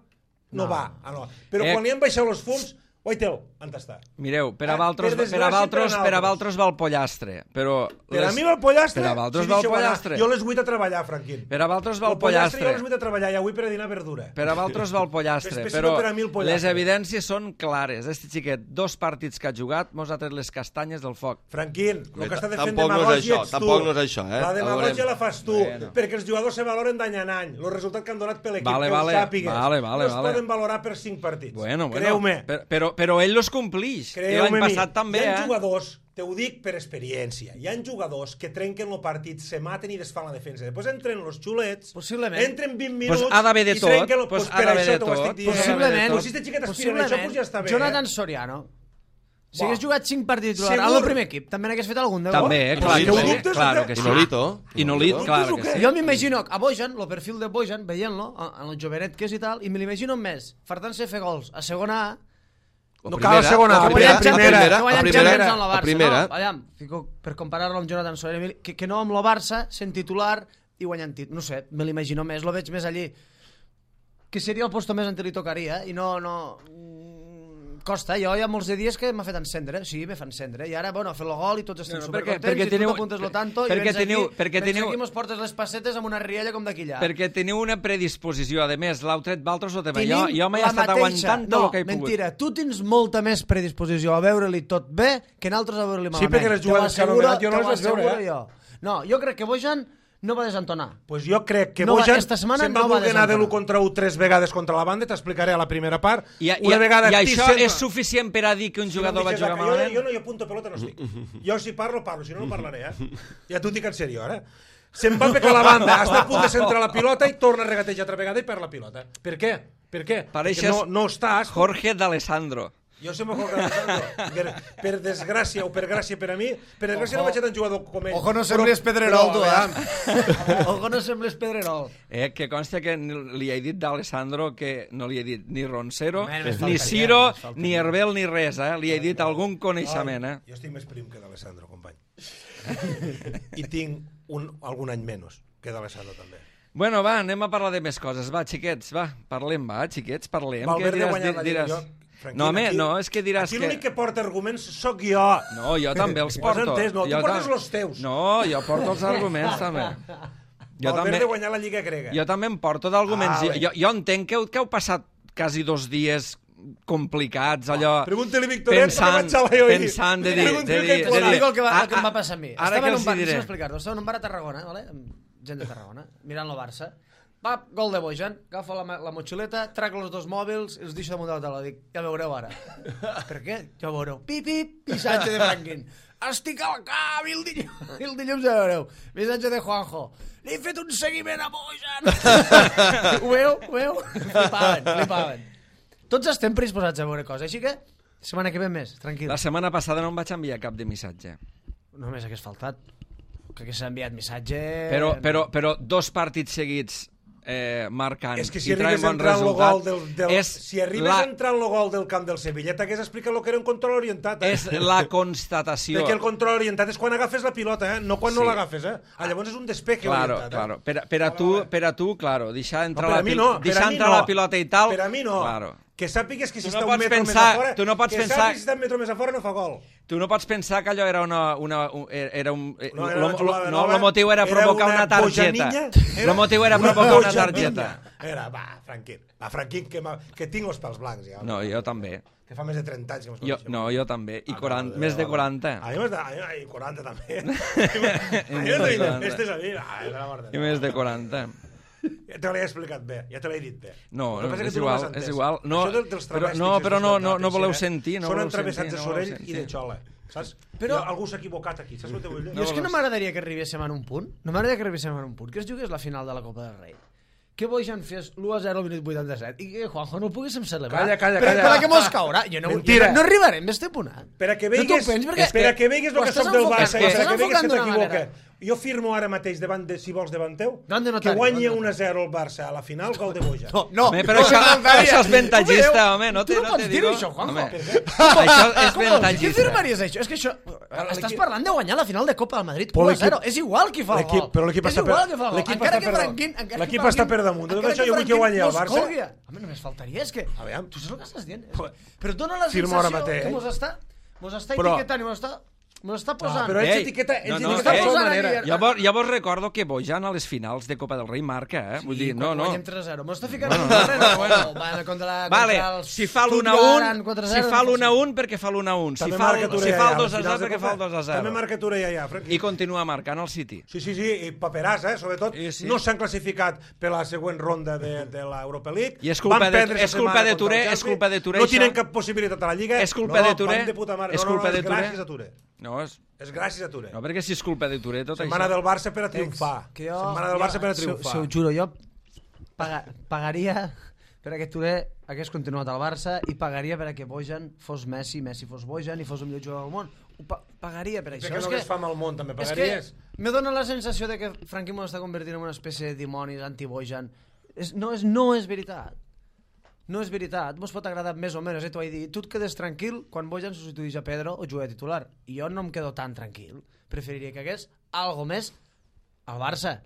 no, No. va. Ah, no. Però Eh. quan li han baixat els fums, Oitel, on està? Mireu, per a Ah, Valtros, per per a desgràcia, Valtros, per a per a nosaltres. Valtros va el pollastre, però... Per les- a mi va el pollastre? Per a Valtros Sí, va el deixeu anar. pollastre. Jo a les vuit a treballar, Franquín. Per a Valtros va el El pollastre jo a les pollastre. vuit a treballar i avui per a dinar verdura. Per a Valtros va el pollastre, Especial però per a mi el pollastre. les evidències són clares. Este xiquet, dos partits que ha jugat, mos ha tret les castanyes del foc. Franquín, el Bé, que està de fent tampoc no és demagògia això, ets tu. tampoc no és això, eh? La demagògia Veurem. la fas tu, Bueno. perquè els jugadors se valoren d'any en any. El resultat que han donat per l'equip, Vale, que vale, ho sàpigues. vale, vale, no es vale. poden valorar per cinc partits. Bueno, bueno, Creu-me. per- però, però ell los complix. I Creu-me l'any a mi. passat també, Hi ha eh? jugadors, te ho dic per experiència, hi ha jugadors que trenquen el partit, se maten i desfan la defensa. Després entren els xulets, Possiblement. entren vint minuts Pues ha d'haver de i tot, trenquen el... pues Pues ha per d'haver això de t'ho estic tot, dient. Possiblement. Pues si este xiquet aspira a això, pues ja està bé. Jonathan eh? Soriano. Si hagués Buah. jugat cinc partits titulars Segur. al primer equip, també n'hagués fet algun de gol. També, eh? I Clar no que ho sí. dubtes, Claro eh? que I sí. Nolito. I Nolit, No clar dubtes que o sí. què? Jo m'imagino a Bojan, el perfil de Bojan, veient-lo, en el jovenet que és i tal, i me l'imagino més, fartant-se fer gols a segona A, No cal a segona, a a primera, primera, a primera, primera, que a guanyem primera, Champions amb la a Barça. primera. No, aviam, fico, per comparar-lo amb Jonathan Soriano, que, que no amb el Barça, sent titular i guanyant títol. No sé, me l'imagino més, lo veig més allí. Que seria el posto més on li tocaria, eh? I no... no mm, costa, jo hi ha molts de dies que m'ha fet encendre, sí, me fa encendre, i ara, bueno, ha fet el gol i tots estem No, no, no, perquè- supercontents, perquè i tu teniu- t'apuntes lo tanto, perquè i vens teniu- aquí, perquè vens teniu- aquí i mos portes les passetes amb una rialla com d'aquí allà. Perquè teniu una predisposició. A més, l'heu tret Valtros o tema. Jo, Tenim jo m'he la estat mateixa- aguantant tot no, el que he pogut. mentira, tu tens molta més predisposició a veure-li tot bé que nosaltres a veure-li malament. perquè les Te jugades ho que ha asseguro- anomenat jo no te ho les vaig veure, asseguro eh? jo. No, jo crec que Bojan no va desentonar. Pues jo crec que no Bojan esta setmana se'n no va va voler anar de desentonar. l'u contra u tres vegades contra la banda, t'explicaré a la primera part. I, i, Una vegada i Tis això sempre- és suficient per a dir que un Si no jugador em va deixes jugar acá, jo, malament? jo no hi apunto pelota, no estic. Jo si parlo, parlo, si no, no parlaré, eh? Ja t'ho dic en sèrio, ara. Se'n va pecar la banda, està a punt de centrar la pilota i torna a regatejar altra vegada i perd la pilota. Per què? Per què? Pareixes Perquè no, no estàs... Jorge d'Alessandro. Jo sempre Jorge d'Alessandro. Per, per desgràcia o per gràcia per a mi, per desgràcia no vaig ser tan jugador com ell. Ojo, no Però- sembles Pedrerol, però, tu, aviam, eh? Ojo, no sembles Pedrerol. Eh, que consta que ni- li he dit d'Alessandro que no li he dit ni Roncero, Home, només ni faltaria, Ciro, només faltaria. ni Herbel, ni res, eh? Li he dit algun coneixement, eh? Jo estic més prim que d'Alessandro, company. I tinc un, algun any menys que d'Alessandro, també. Bueno, va, anem a parlar de més coses. Va, xiquets, va, parlem, va, xiquets, parlem. Valverde Què diràs, guanyar la Lliga, diràs... jo- Tranquil, No, home, aquí- no, és que diràs aquí que... l'únic que porta arguments sóc jo. No, jo també els Ho has porto. entès? No, tu Jo portes tam- els teus. No, jo porto els arguments, també. Jo Valverde també, guanyar la Lliga grega. jo també em porto d'arguments. Ah, jo, jo, jo entenc que heu, que heu passat quasi dos dies complicats, allò... Pregunta-li Victoret, pensant, perquè vaig a la jo ahir. pensant de dir... Pregunta-li De què dir, et de plorar. dir Dic el que, va, ah, el que em va ah, passar a mi. Ara Estava que en els un bar, hi diré. deixa'm explicar-ho, estava en un bar a Tarragona, vale? amb gent de Tarragona, mirant el Barça. Va, gol de Bojan, agafo la, la motxileta, trac els dos mòbils i els deixo damunt de la taula. Dic, ja veureu ara. Per què? Ja veureu. Pip, pip, missatge de Franquín. Estic al cap i el dilluns, el dilluns ja veureu. Missatge de Juanjo. Li he fet un seguiment a Bojan. Ho veu? Ho veu? Flipaven, flipaven. Tots estem predisposats a veure coses, així que setmana que ve més, tranquil. La setmana passada no em vaig enviar cap de missatge. Només hagués faltat que hagués enviat missatge... Però, però, però dos partits seguits eh, marcant És que si i traient arribes a bon entrar en el resultat... gol del, del, és si arribes la, a entrar en el gol del camp del Sevilla, t'hagués explicat el que era un control orientat. Eh? és la constatació. Perquè el control orientat és quan agafes la pilota, eh? no quan Sí. no l'agafes. Eh? Ah, llavors és un despeje Claro, orientat. claro. Eh? Per, per, a tu, per a tu, claro, deixar entrar, per a la, mi pil- no, per deixar a mi entrar no. la pilota i tal... Per a mi no. Claro. Que sàpigues que si Tu no està pots un metro pensar- més a fora, tu no pots que pensar- sàpigues si està un metro més a fora no fa gol. Tu no pots pensar que allò era una... una un, era un, eh, No, era lo, una jugada lo, no, nova, el motiu era era provocar una una, targeta. bojanilla, El motiu era una provocar una bojanilla. targeta. Era, va, Franquín, va, Franquín, que, m'ha- que tinc els pals blancs ja. No, jo també. Que fa més de trenta anys que m'has Jo, coneixem. no, jo també. I Ah, quaranta, no, més de no, quaranta. A mi m'has de... A mi, ai, quaranta també. A mi més de quaranta. Este és a mi. Ai, és la mort de I Déu. més de quaranta. Ja te l'he explicat bé, ja te l'he dit bé. No, El que no, passa és que tu no igual, m'has entès. és igual. No, Això del- dels però- travèstics no, és però no- veritat, no- no Teixeira. voleu sentir, no Són voleu entravessats sentir, de no voleu Sorell i sentir. de Xola, saps? Però- Però algú s'ha equivocat aquí, saps el que vull dir? Jo és que no m'agradaria que arribéssim en un punt, no m'agradaria que arribéssim en un punt, que es jugués la final de la Copa del Rei. Que Bojan fes l'u a zero al minut vuitanta-set i que Juanjo no ho poguéssim celebrar. Calla, calla, per, calla. Per a què mos caurà? Jo no, Mentira. jo no arribarem a este punt. eh? Per a que No t'ho veigues, pensis, perquè- per a que veigues el ho que estàs soc del enfocant- Barça i ho per a estàs que veigues que enfocant d'una t'equivoques. manera. Jo firmo ara mateix davant de, si vols, davant teu, Davant de que notari, guanyi davant de un a zero el Barça a la final, gol de Bojan. No, no, Home, però no, això, no, no, això és no, ventagista, no, home, no tu te, no no pots te dir digo. això, Juanjo. Home, Per què? això és Com vols dir? Què ventagista. firmaries això? És que això... Estàs parlant de guanyar la final de Copa del Madrid Però u a l'equip- zero. És igual qui fa el L'equip- gol. però l'equip És està per- igual qui fa el gol. l'equip Encara està que per- Franquín... encara que l'equip Franquín- està per damunt. De tot encara això jo vull que Franquín guanyi el no es Barça. colgui. Home, només faltaria, és que... Aviam. Tu saps el que estàs dient? És que- Però dona la Firmo ara sensació mateix. que mos està, mos està Però- etiquetant i mos està, mos està Ah, posant... però ets Ei, etiqueta, ets no, no, etiqueta eh, de posant manera. aquí- Llavors, llavors recordo que Bojan a les finals de Copa del Rei marca, eh? Vull dir, no, no. Guanyem tres a zero. Mos està ficant en un terreno. Bueno, bueno, contra la... Vale, contra el si fa l'un a Stuttgart, un, quatre a si zero, fa no l'un a sé. un, perquè fa l'un a un. Si També fa marca el, Touré si ja, fa el a dos a finals zero, de perquè Copa. fa el dos a També zero. marca Touré ja, ja, Franqui. I continua marcant el City. Sí, sí, sí, i paperàs, eh? Sobretot, Sí, sí. no s'han classificat per la següent ronda de, de l'Europa League. I és culpa Van de- perdre és esta culpa setmana de contra Touré, el és Chelsea. culpa de Touré, No això. tenen cap possibilitat a la Lliga. És culpa no, de Touré, van de puta mare. és no, no, culpa no, de és Touré. gràcies a Touré. No, és... És gràcies a Touré. no, perquè si és culpa de Touré, tot Setmana això... del Barça per a triomfar. Que jo, Setmana del Barça per a triomfar. Se, se ho juro, jo paga, pagaria per a que Touré hagués continuat al Barça i pagaria per a que Bojan fos Messi, Messi fos Bojan i fos el millor jugador del món. Ho pa pagaria per això. Perquè És no que, hagués fam al món, també és pagaries? que me dona la sensació de que Franqui m'ho està convertint en una espècie de dimoni anti-Bojan. És, no, és, no és veritat. No és veritat, mos pot agradar més o menys, eh, t'ho vaig dir. Tu et quedes tranquil quan Bojan substituís a Pedro o juga de titular. I jo no em quedo tan tranquil. Preferiria que hagués algo més al Barça.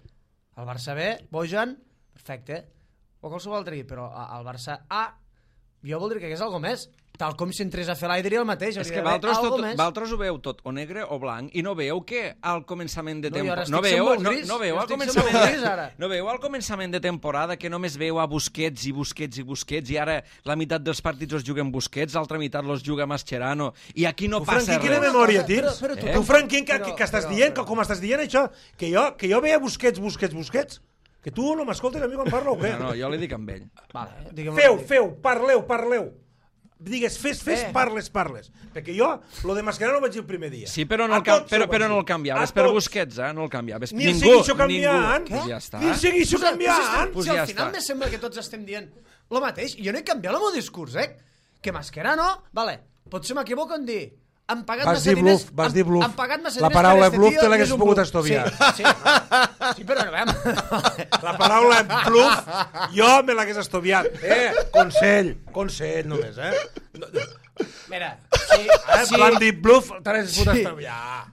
Al Barça B, Bojan, perfecte. O qualsevol altre equip, però a- al Barça A, jo voldria que hagués algo més. tal com si entrés a fer l'aire diria el mateix. És que vosaltres, tot, vosaltres ho veu tot o negre o blanc i no veu que al començament de temporada... No, no, veu, no, gris, no, veu al començament de... no veu al començament de temporada que només veu a Busquets i Busquets i Busquets i ara la meitat dels partits els juguen Busquets, l'altra meitat els juga Mascherano i aquí no tu, passa Franqui, res. Quina memòria tens? Però, però, tu, eh? Franqui, que, que, que estàs però, dient, però... que, com estàs dient això? Que jo, que jo veia Busquets, Busquets, Busquets? Que tu no m'escoltes a mi quan parlo o què? No, no, jo li dic amb ell. Vale, feu, feu, parleu, parleu. Digues, fes, fes, eh. parles, parles. Perquè jo, lo de Mascherano ho vaig dir el primer dia. Sí, però no, el, cam però, però no el canviaves per Busquets, eh? No el canviaves. Ni el ningú, seguixo canviant. Pues ja està. Ni el seguixo canviant. Pues si al final me sembla que tots estem dient lo mateix. Jo no he canviat el meu discurs, eh? Que Mascherano, vale, potser m'equivoco en dir han pagat vas massa diners... Bluff, vas dir bluff. Han pagat massa la diners paraula per bluff este te l'hagués pogut estoviar. Sí, sí, sí, però no veiem. La paraula bluff jo me l'hagués estoviat. Eh, consell, consell només, eh? Mira, sí, eh, sí. Quan dit bluff, te l'hagués pogut estoviar.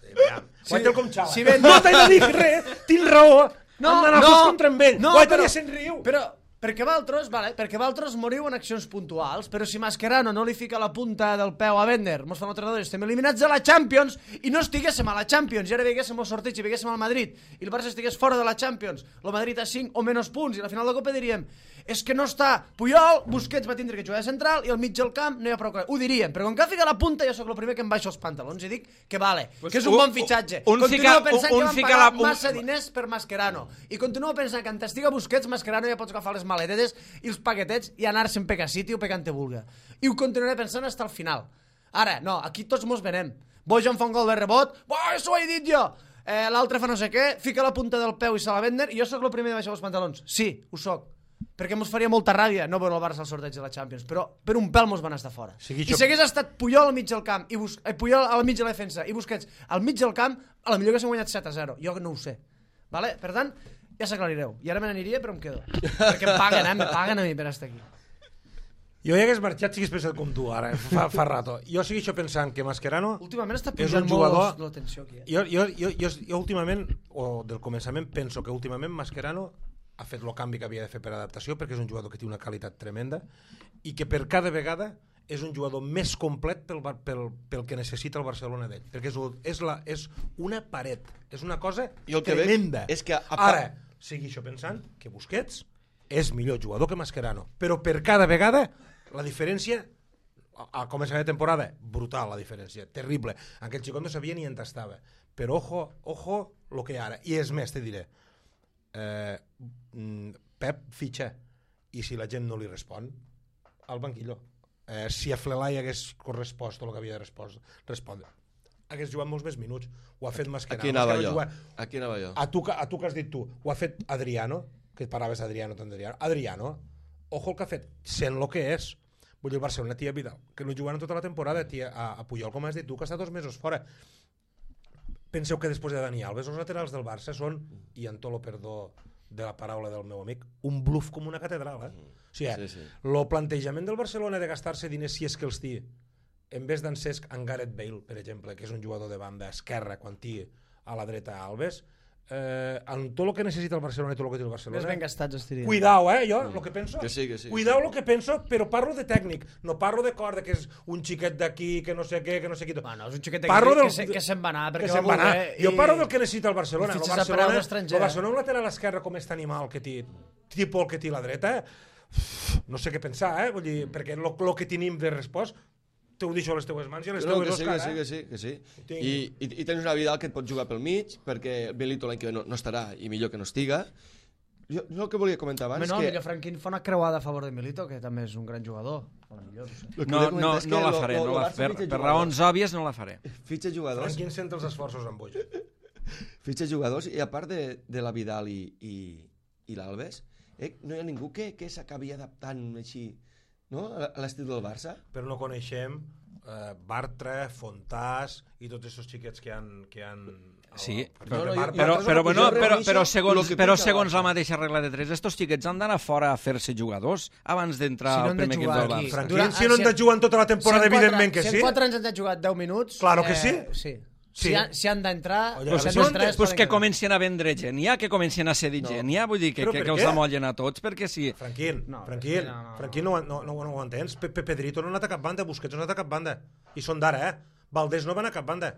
Sí, sí, guaita el com xala. Si ben... No t'he de dir res, tinc raó. No, Hem d'anar no, tots contra amb ell. no, guaita però, ja se'n riu. Però, perquè vosaltres, vale, perquè vosaltres moriu en accions puntuals, però si Mascherano no li fica la punta del peu a Bender, mos fan altres dos, estem eliminats de la Champions i no estiguéssim a la Champions, i ara veiguéssim el sorteig i veiguéssim al Madrid, i el Barça estigués fora de la Champions, el Madrid a cinc o menys punts, i a la final de Copa diríem és que no està Puyol, Busquets va tindre que jugar de central i al mig del camp no hi ha prou... Ho diríem, però com que ha ficat la punta jo sóc el primer que em baixo els pantalons i dic que vale, pues que és un, un bon fitxatge. Un continuo fica, pensant un, que un van pagar la, un... massa diners per Mascherano i continuo pensant que en t'estiga Busquets, Mascherano ja pots agafar les maletetes i els paquetets i anar-se'n pe City o pe Cante vulga. I ho continuaré pensant fins al final. Ara, no, aquí tots mos venem. Bojan fa un gol de rebot, oh, això ho he dit jo! Eh, L'altre fa no sé què, fica la punta del peu i se la Bender i jo sóc el primer de baixar els pantalons. Sí, ho soc. Perquè mos faria molta ràbia no veure el Barça al sorteig de la Champions, però per un pèl mos van estar fora. Sigui I si hagués estat Puyol al mig del camp, i Bus... eh, Puyol al mig de la defensa i Busquets al mig del camp, a la millor que s'han guanyat set a zero. Jo no ho sé. Vale? Per tant, ja s'aclarireu. I ara me n'aniria, però em quedo. Perquè em paguen, eh? Me paguen a mi per estar aquí. Jo ja hagués marxat si hagués pensat com tu ara, fa, fa rato. Jo segueixo pensant que Mascherano últimament està és un pujant jugador... molt la tensió aquí. Eh? Jo, jo, jo, jo, jo últimament, o del començament, penso que últimament Mascherano ha fet el canvi que havia de fer per adaptació perquè és un jugador que té una qualitat tremenda i que per cada vegada és un jugador més complet pel, pel, pel que necessita el Barcelona d'ell, perquè és, és, la, és una paret, és una cosa I el que tremenda. És que a... Ara, segueixo pensant que Busquets és millor jugador que Mascherano, però per cada vegada la diferència, al començament de temporada, brutal la diferència, terrible. Aquell xicot no sabia ni on estava, però ojo, ojo lo que ara, i és més, te diré, eh, Pep fitxa i si la gent no li respon al banquillo, eh, si a Flelai hagués correspost el que havia de respondre hagués jugat molts més minuts, ho ha fet Mascherano. Aquí anava jo, aquí anava jo. A tu, a tu que has dit tu, ho ha fet Adriano, que paraves Adriano tant Adriano, Adriano, ojo el que ha fet, sent el que és. Vull dir, el Barcelona tia Vidal, que no juguen tota la temporada, tia, a, a Puyol, com has dit tu, que està dos mesos fora. Penseu que després de Dani Alves els laterals del Barça són, i en tot lo perdó de la paraula del meu amic, un bluff com una catedral, eh? O sigui, sí, sí. El plantejament del Barcelona de gastar-se diners si és que els té, en vez d'en Cesc, en Gareth Bale, per exemple, que és un jugador de banda esquerra quan té a la dreta Alves, eh, en tot el que necessita el Barcelona i tot el que té el Barcelona... Més ben gastats, estiria. Cuidao, eh, jo, el que penso... Que sí, que sí. Cuidao el que penso, però parlo de tècnic, no parlo de cor, de que és un xiquet d'aquí, que no sé què, que no sé qui... Bueno, és un xiquet d'aquí del... que, se, que se'n va anar, perquè va voler... I... Jo parlo del que necessita el Barcelona. El Barcelona, el Barcelona un lateral esquerre com aquest animal que té, tipus el que té la dreta, no sé què pensar, eh, vull dir, perquè el que tenim de respost t'ho deixo a les teues mans i a les no, teues sí, Òscar, que sí, eh? que sí, que sí. I, i, I tens una Vidal que et pot jugar pel mig, perquè Belito l'any que ve no, no estarà i millor que no estiga. Jo, jo el que volia comentar abans... Home, no, que... millor Franquín fa una creuada a favor de Milito, que també és un gran jugador. Millor, no, no, no, no la faré, no la, per, per raons òbvies no la faré. Fitxa jugadors... Franquín sent els esforços amb boig. Fitxa jugadors, i a part de, de la Vidal i, i, i l'Alves, eh, no hi ha ningú que, que s'acabi adaptant així, no?, a l'estil del Barça. Però no coneixem Uh, Bartra, Fontàs i tots aquests xiquets que han... Que han sí, però, però, però, però, bueno, però, però segons, però segons la mateixa regla de tres, estos xiquets han d'anar fora a fer-se jugadors abans d'entrar si no al primer equip del Barça. Franquín, si no han de jugar en tota la temporada, evidentment que sí. Si en quatre anys han de jugar deu minuts... Claro que sí. Eh, sí. Si, ha, si han d'entrar... Oye, Pues, si si pues, han d'entrar, es pues poden que quedar. comencin a vendre gent, ja que comencin a cedir No. gent, ja vull dir que, Però que, per que els què? amollen a tots, perquè sí. Franquín, No, Franquín, no, no, no. Franquín no, no, no, no ho entens. Pepe Pedrito no ha anat a cap banda, Busquets no ha anat a cap banda. I són d'ara, eh? Valdés no va anar a cap banda.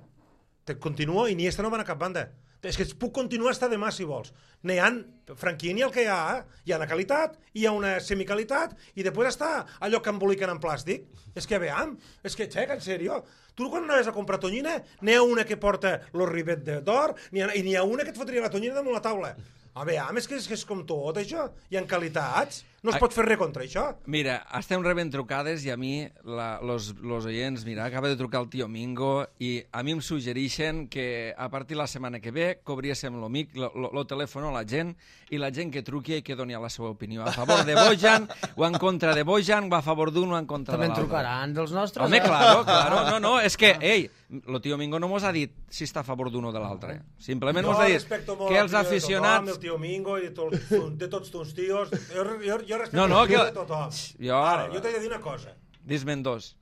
Te continuo, Iniesta no va anar a cap banda. És que es puc continuar hasta demà, si vols. N'hi ha, Franquín i el que hi ha, eh? Hi ha una qualitat, hi ha una semicalitat, i després està allò que emboliquen en plàstic. És que veam, és que, xec, en sèrio. Tu quan anaves a comprar tonyina, n'hi ha una que porta los ribet d'or, i n'hi ha una que et fotria la tonyina damunt la taula. A veure, és que és, que és com tot, això. Hi ha qualitats. No es pot fer res contra això. Mira, estem rebent trucades i a mi, la, los, los oients, mira, acaba de trucar el tio Mingo i a mi em suggereixen que a partir de la setmana que ve cobriéssim lo mic, lo, lo, lo telèfon a la gent i la gent que truqui i que doni la seva opinió. A favor de Bojan o en contra de Bojan o a favor d'un o en contra També de en l'altre. trucaran dels nostres. Home, eh? claro, claro. No, no, és que, ei, lo tio Mingo no mos ha dit si està a favor d'un o de l'altre. Simplement mos ha dit que els aficionats... El tio Mingo i de, tot, de tots tus tios. Jo, jo, jo respecto No, no, els tios que- de tothom. Jo- Ara, jo t'he de dir una cosa. Dis-me'n dos.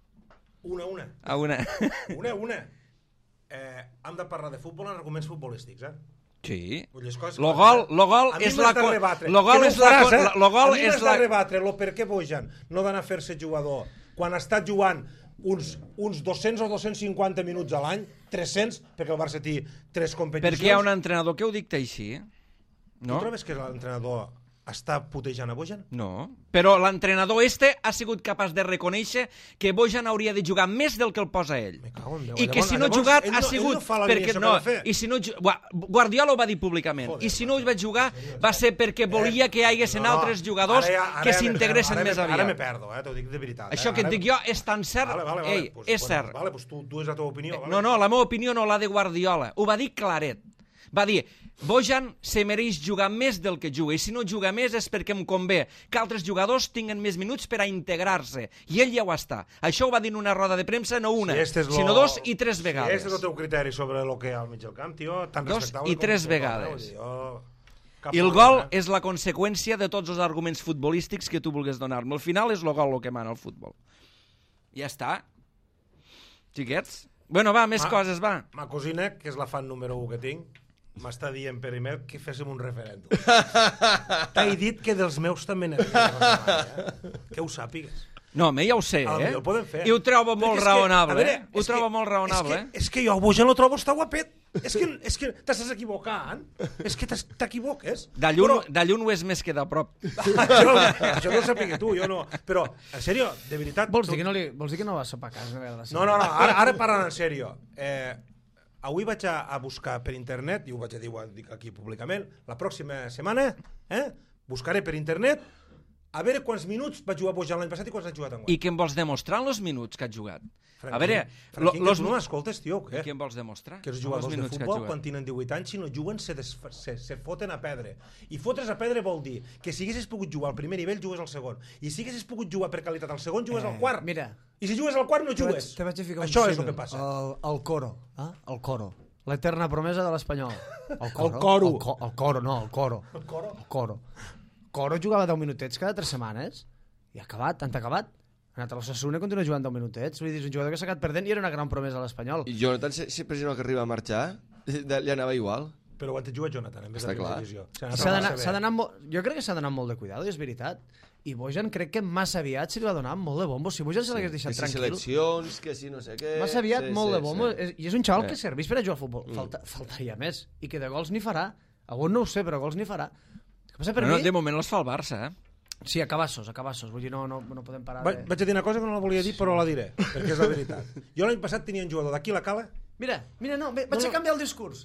Una, una. A una. Una, una. Eh, hem de parlar de futbol en arguments futbolístics, eh? Sí. Vull dir, és coses Lo que- gol, lo gol A mi és m'has la... de co- rebatre. Lo gol Que no és ho faràs, la... eh? co- Lo gol a mi és m'has la... de rebatre lo per què Bojan no d'anar a fer-se jugador quan està jugant uns, uns dos-cents o dos-cents cinquanta minuts a l'any, tres-cents, perquè el Barça té tres competicions. Perquè hi ha un entrenador que ho dicta així, Tu no? trobes que l'entrenador està putejant a Bojan? No. Però l'entrenador este ha sigut capaç de reconèixer que Bojan hauria de jugar més del que el posa ell. Me cago en Déu. I que Llavors- si no ha llavors jugat ell ha no- ell sigut no fa la perquè alineació no, que ha de fer. i si no ju- Gua- Guardiola ho va dir públicament. Joder, I si no ho vaig jugar va ser perquè volia que hi haguessin No, no, altres jugadors ara ja- ara que ja me s'integressin perdo, més ara me- Ara me aviat. perdo, eh? T'ho dic de veritat. Això eh? que et Ara- dic jo és tan cert. Vale, vale, vale. Ei, Pues, és bueno, cert. Vale, pues tu, tu és la teva opinió. Vale. No, no, la meva opinió no, la de Guardiola. Ho va dir claret. Va dir, Bojan se mereix jugar més del que juga, i si no juga més és perquè em convé que altres jugadors tinguen més minuts per a integrar-se. I ell ja ho està. Això ho va dir en una roda de premsa, no una, Si este és lo- sinó dos i tres Si vegades. este és el teu criteri sobre el que hi ha al mig del camp, tio, tan Dos respectable i com tres tothom, vegades. eh? Vull dir, jo- cap I el problema, gol eh? és la conseqüència de tots els arguments futbolístics que tu vulguis donar-me. Al final és el gol el que mana el futbol. Ja està. Xiquets? Bueno, va, més Ma- coses, va. Ma cosina, que és la fan número un que tinc, m'està dient per email que féssim un referèndum. T'he dit que dels meus també n'havia eh? Que ho sàpigues. No, home, ja ho sé, A lo eh? millor ho podem fer. I ho trobo Perquè molt és que, raonable, a veure, eh? Ho és trobo que- molt raonable, és eh? que, és que jo a Bojan lo trobo està guapet. És que, és que t'estàs equivocant. És que t'es- t'equivoques. De lluny, Però- de lluny ho és més que de prop. això, això no ho sàpiga tu, jo no. Però, en sèrio, de veritat... Vols tu- dir que no, li, vols dir que no va sopar a casa? No, No, no, no, ara, ara parlant en sèrio. Eh, avui vaig a, a buscar per internet, i ho vaig a dir, ho dic aquí públicament, la pròxima setmana eh, buscaré per internet a veure quants minuts va jugar Bojan l'any passat i quants ha jugat enguany. I què em vols demostrar en els minuts que has jugat? Franquín, A veure, Franquín, los... que tu no m'escoltes, tio, o I què? què em vols demostrar? Que els amb jugadors els de minuts que has futbol, jugat? quan tenen divuit anys, si no juguen, se, desfa, se, se foten a perdre. I fotre's a perdre vol dir que si haguessis pogut jugar al primer nivell, jugues al segon. I si haguessis pogut jugar per qualitat al segon, jugues al Eh, quart. mira. I si jugues al quart, no Te vaig, jugues. te vaig a ficar un Això és el símil. que passa. El, el coro. Eh? El coro. L'eterna promesa de l'Espanyol. El coro. El coro. El, co el coro, no, el coro. El coro. El coro. Coro jugava deu minutets cada tres setmanes i ha acabat, tant ha acabat. Ha anat a l'Osasuna i continua jugant deu minutets. Vull dir, és un jugador que s'ha quedat perdent i era una gran promesa a l'Espanyol. I Jonathan, se- sempre si no que arriba a marxar, de- li anava igual. Però ho ha jugat Jonathan, en vez Està de primera clar. divisió. S'ha d'anar- s'ha d'anar molt... Jo crec que s'ha d'anar molt de cuidado, i és veritat. I Bojan crec que massa aviat se li va donar molt de bombo. Si Bojan se l'hagués deixat Que si tranquil... seleccions, que si no sé què... Massa aviat, sí, molt sí, de bombo. sí. És- I és un xaval Sí. que serveix per a jugar al futbol. Falta, faltaria més. I que de gols n'hi farà. Algun no ho sé, però gols n'hi farà. El que passa per Bueno, mi... de moment els fa el Barça, eh? Sí, a cabassos, a cabassos. Vull dir, no, no, no podem parar Va, de... vaig a dir una cosa que no la volia dir, però la diré, perquè és la veritat. Jo l'any passat tenia un jugador d'aquí la cala... Mira, mira, no, ve- vaig No, no. a canviar el discurs.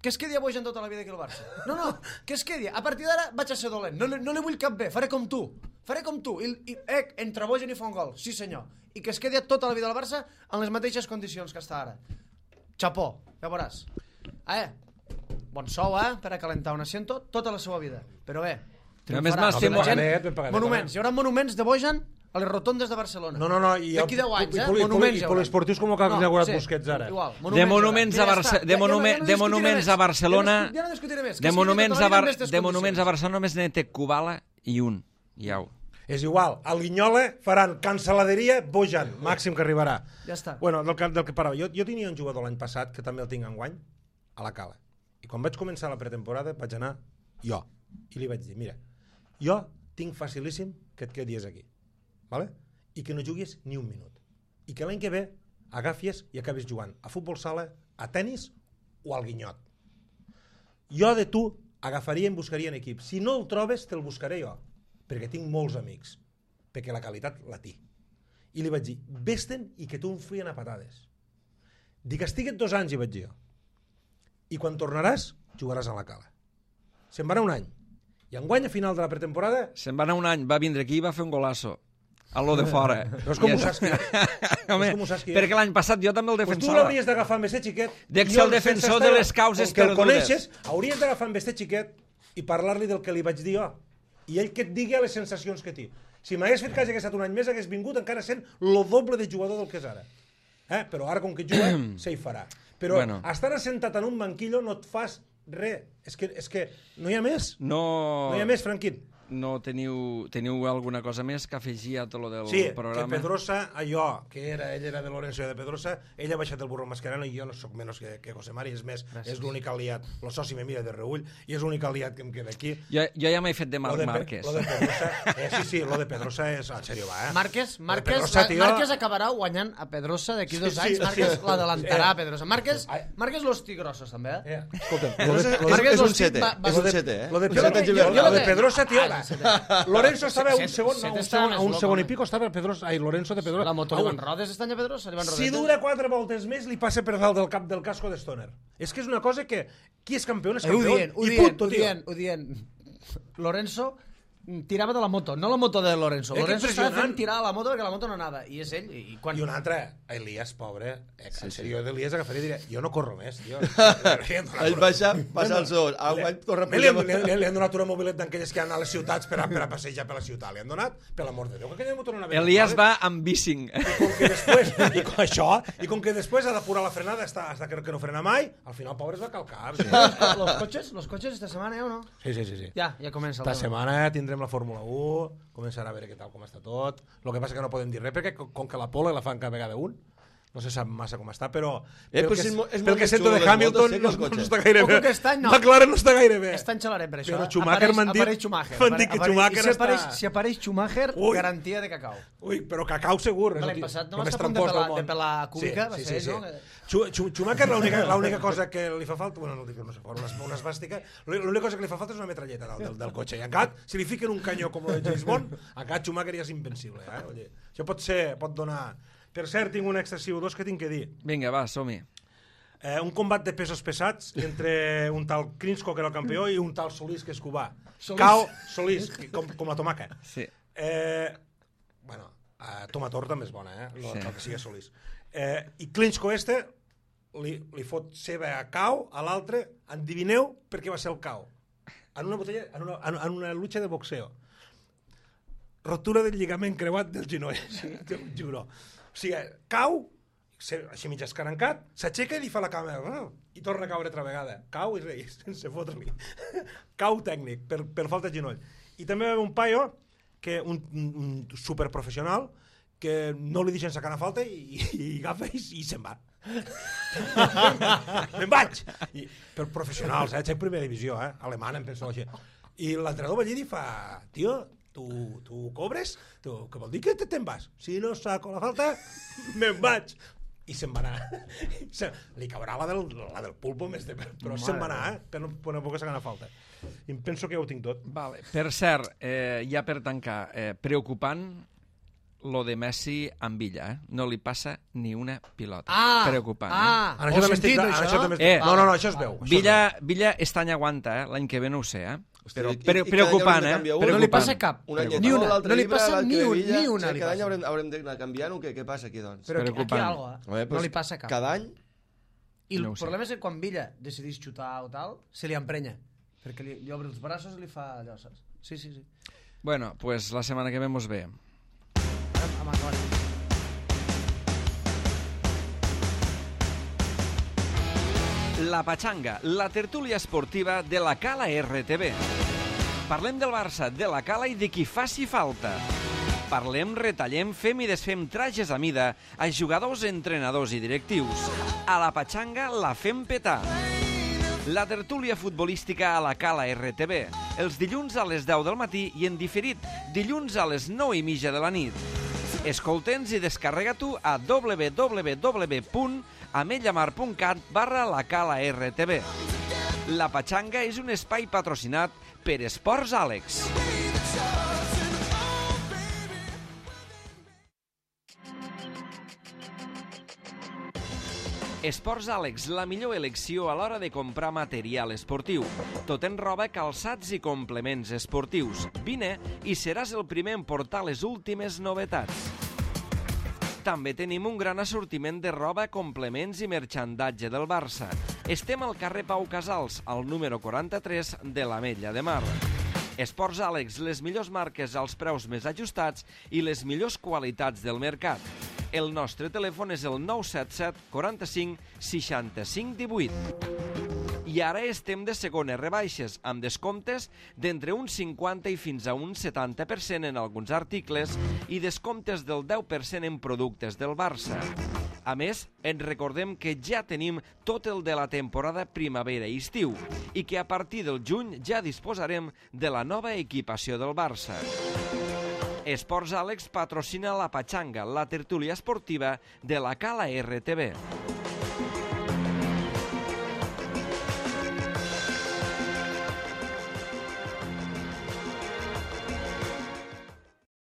Que es quedi a Bojan tota la vida aquí al Barça. No, no, que es quedi. A partir d'ara vaig a ser dolent. No, li- no li vull cap bé. Faré com tu. Faré com tu. I, i eh, entre Bojan i fa un gol. Sí, senyor. I que es quedi tota la vida al Barça en les mateixes condicions que està ara. Chapó, ja veuràs. Eh, bon sou, eh, per a calentar un asiento tota la seva vida. Però bé, A més, triomfarà. m'has fet La molt- gent- Ben pagadet, ben pagadet, monuments. Hi haurà monuments de Bojan a les rotondes de Barcelona. No, no, no. I D'aquí deu anys, i eh? poli- Monuments i hi haurà. poliesportius com el que ha inaugurat Busquets ara. Igual, De monuments, a, hi haurà. Barce Ja de, està. monume Ja no- ja no de discutiré monuments més. a Barcelona... Ja no, ja no discutiré més. Que De es quedi monuments tota a, la vida Bar en aquestes de monuments a condicions. Barcelona només n'hi té Kubala i un. I au. És igual, al Guinyola faran cancel·laderia Bojan, màxim que arribarà. Ja està. Bueno, del que, del que parava, jo, jo tenia un jugador l'any passat, que també el tinc enguany, a la Cala. I quan vaig començar la pretemporada vaig anar jo. I li vaig dir, mira, jo tinc facilíssim que et quedis aquí. Vale? I que no juguis ni un minut. I que l'any que ve agafies i acabis jugant a futbol sala, a tennis o al Guinyot. Jo de tu agafaria i em buscaria en equip. Si no el trobes, te'l buscaré jo, perquè tinc molts amics, perquè la qualitat la té. I li vaig dir, vés-te'n i que tu em fien a patades. Dic, estiguet dos anys, hi vaig dir jo. I quan tornaràs, jugaràs a la Cala. Se'n va anar un any. I enguany, a final de la pretemporada... Se'n va anar un any, va vindre aquí i va fer un golaço. A lo de fora. No és com ho saps que... Home, perquè l'any passat jo també el pues defensava. tu l'hauries d'agafar amb este xiquet. Dec ser el defensor de les causes perdudes. Que el perdudes. coneixes, hauries d'agafar amb este xiquet i parlar-li del que li vaig dir jo. I ell que et digui les sensacions que té. Si m'hagués fet cas que hagués estat un any més, hagués vingut encara sent lo doble de jugador del que és ara. Eh? Però ara, com que juga, se hi farà. Però Bueno. estar assentat en un banquillo no et fas res. És que, és que no hi ha més. No, No hi ha més, Franquín. no teniu, teniu alguna cosa més que afegir a tot lo del Sí, programa? que Pedrosa, allò, que era, ell era de Lorenzo i de Pedrosa, ell ha baixat el burro Mascherano i jo no sóc menys que, que José Mari, és més, Gràcies. És l'únic aliat, el soci me mira de reull, i és l'únic aliat que em queda aquí. Jo, jo ja m'he fet de Marc Lo de, Márquez. Lo de Pedrosa, eh, sí, sí, lo de Pedrosa és, en sèrio, va, eh? Márquez, Lo de Márquez, Pedrosa, la- tio. Márquez acabarà guanyant a Pedrosa d'aquí dos Sí, anys. sí, Márquez sí. l'adelantarà Eh. a Pedrosa. Márquez, Ai. Márquez los tigrosos, també, eh? Eh, escolta'm, No lo sé, de, és, lo de, Márquez és un los sete, va- va- és lo un de- sete, eh? lo de Un Pedrosa, sete jo- juvenil. jo lo de de- Pedrosa, tio, Ah, va. sete. Lorenzo estava Sete- un segon, sete un està segon, més a un loco, segon i home. pico estava Pedrosa, ai, Lorenzo de Pedrosa. La moto A li un- van rodes este any a Pedrosa? Li van Si rodetes? dura quatre voltes més, li passa per dalt del cap del casco de Stoner. És que és una cosa que... Qui és campió és Eh, ho campió. dient, ho I dient, punto, ho tio. dient, ho dient. Lorenzo mm, tirava de la moto, no la moto de Lorenzo. Eh, que Lorenzo estava impressionant. fent tirar la moto perquè la moto no anava. I és ell. I quan... I un altre, Elias, pobre, eh, en sèrio, d'Elias agafaria i diria, jo no corro més, tio. Ell baixa, passa el sol. Enguany torna a Li, han- pujar. li, li, li han donat una mobilet d'aquelles que han a les ciutats per a, per a passejar per la ciutat. Li han donat, per l'amor de Déu, que aquella moto no anava. Elias va amb bicing. I com que després, i com això, i com que després ha d'apurar la frenada hasta, hasta que, que no frena mai, al final, pobre, es va calcar. Sí, Los coches, los coches esta setmana, eh, o no? sí, sí. sí, sí. Ja, ja comença el Esta tema. setmana tindrem la Fórmula u, començarà a veure què tal com està tot. El que passa que no podem dir res, perquè com com que la Pole la fan cada vegada un, no se sap massa com està, però Eh, pel però que, si és mo- és pel molt que més sento xulo de les Hamilton motos, sí, que no, els no cotxes. està gaire Ojo bé. que aquest any no. McLaren no està gaire bé. Està en xalarem per això. Però eh? Schumacher Apareix- m'han dit- apareix Schumacher. m'han dit que Apareix- Schumacher i si apareix, està- si apareix Schumacher, Ui. garantia de cacau. Ui, però cacau segur. és L'any el tio- passat no el va més estar a punt de trampós del pelar- món. de pelar Kubica, va sí, ser sí, ell, sí. no? Schu- Schu- Schumacher l'única l'única cosa que li fa falta, bueno, no dic, no sé, una, una esbàstica, l'única cosa que li fa falta és una metralleta dalt del, del cotxe. I encara, si li fiquen un canyó com el de James Bond, encara Schumacher ja és invencible. Eh? Oye, això pot ser, pot donar... Per cert, tinc un extra C O dos que tinc que dir. Vinga, va, som-hi. Eh, un combat de pesos pesats entre un tal Krinsko, que era el campió, i un tal Solís, que és cubà. Solís. Cao Solís, que, com, com la tomaca. Sí. Eh, bueno, eh, Tomator també és bona, eh? No Sí. cal que sigui Solís. Eh, I Klinsko este li, li fot ceba a Cao, a l'altre, endivineu per què va ser el Cao. En una botella, en una, en, en una lucha de boxeo. Rotura del lligament creuat del genoll. Sí. T'ho juro. O sigui, cau, se, així mig escarancat, s'aixeca i li fa la cama oh, i torna a caure altra vegada. Cau i rei, sense fotre-li. Cau tècnic, per, per falta de genoll. I també va haver un paio, que un, un, un superprofessional, que no li deixen sacar una falta i, i, i agafa i, i se'n va. Me'n vaig! I, per professionals, eh? Xec primera divisió, eh? Alemana, em penso així. I l'entrenador va allí i fa, tio, tu, tu cobres? Tu, què vol dir que te- te'n vas? Si no saco la falta, me'n vaig. I se'n va anar. Se, li caurà la del, la del pulpo més de... Però se'n va anar, eh? Per no, per no poder sacar una falta. I em penso que ja ho tinc tot. Vale. Per cert, eh, ja per tancar, eh, preocupant lo de Messi amb Villa, eh? No li passa ni una pilota. Ah! Preocupant, Ah! En això Ho també estic... sentit, en això? això també Eh, estic... No, no, no, això es veu. eh? Això Villa, es veu. Villa aquest any aguanta, eh? L'any que ve no ho sé, eh? Però Hosti, i- pre i cada any preocupant, haurem de eh? canviar un. No li Preocupant. passa cap. Un any Ni una. l'altre No li llibre, passa l'altre ni un- Villa. ni una Sí, li cada any passa. haurem, haurem d'anar canviant-ho. Què, què passa aquí, doncs? Però aquí, aquí Preocupant. algo, eh? Home, No pues, li passa cap. Cada any... I el No ho sé. problema és que quan Villa decidís xutar o tal, se li emprenya. Perquè li, li obre els braços i li fa allò, saps? Sí, sí, sí. Bueno, pues la setmana que ve mos ve. Ara, amb acabat. La Pachanga, la tertúlia esportiva de la Cala R T V. Parlem del Barça, de la Cala i de qui faci falta. Parlem, retallem, fem i desfem trajes a mida a jugadors, entrenadors i directius. A la Patxanga la fem petar. La tertúlia futbolística a la Cala R T V, els dilluns a les deu del matí i en diferit, dilluns a les nou i mitja de la nit. Escolta'ns i descarrega-t'ho a w w w punt ametlamar punt cat barra la Cala R T V. La Patxanga és un espai patrocinat per Esports Àlex. Esports Àlex, la millor elecció a l'hora de comprar material esportiu. Tot en roba, calçats i complements esportius. Vine i seràs el primer en portar les últimes novetats. També tenim un gran assortiment de roba, complements i merxandatge del Barça. Estem al carrer Pau Casals, al número quaranta-tres de l'Ametlla de Mar. Esports Àlex, les millors marques als preus més ajustats i les millors qualitats del mercat. El nostre telèfon és el nou set set quaranta-cinc seixanta-cinc divuit. I ara estem de segones rebaixes, amb descomptes d'entre un cinquanta i fins a un setanta per cent en alguns articles i descomptes del deu per cent en productes del Barça. A més, ens recordem que ja tenim tot el de la temporada primavera i estiu i que a partir del juny ja disposarem de la nova equipació del Barça. Esports Àlex patrocina la Patxanga, la tertúlia esportiva de la Cala R T V.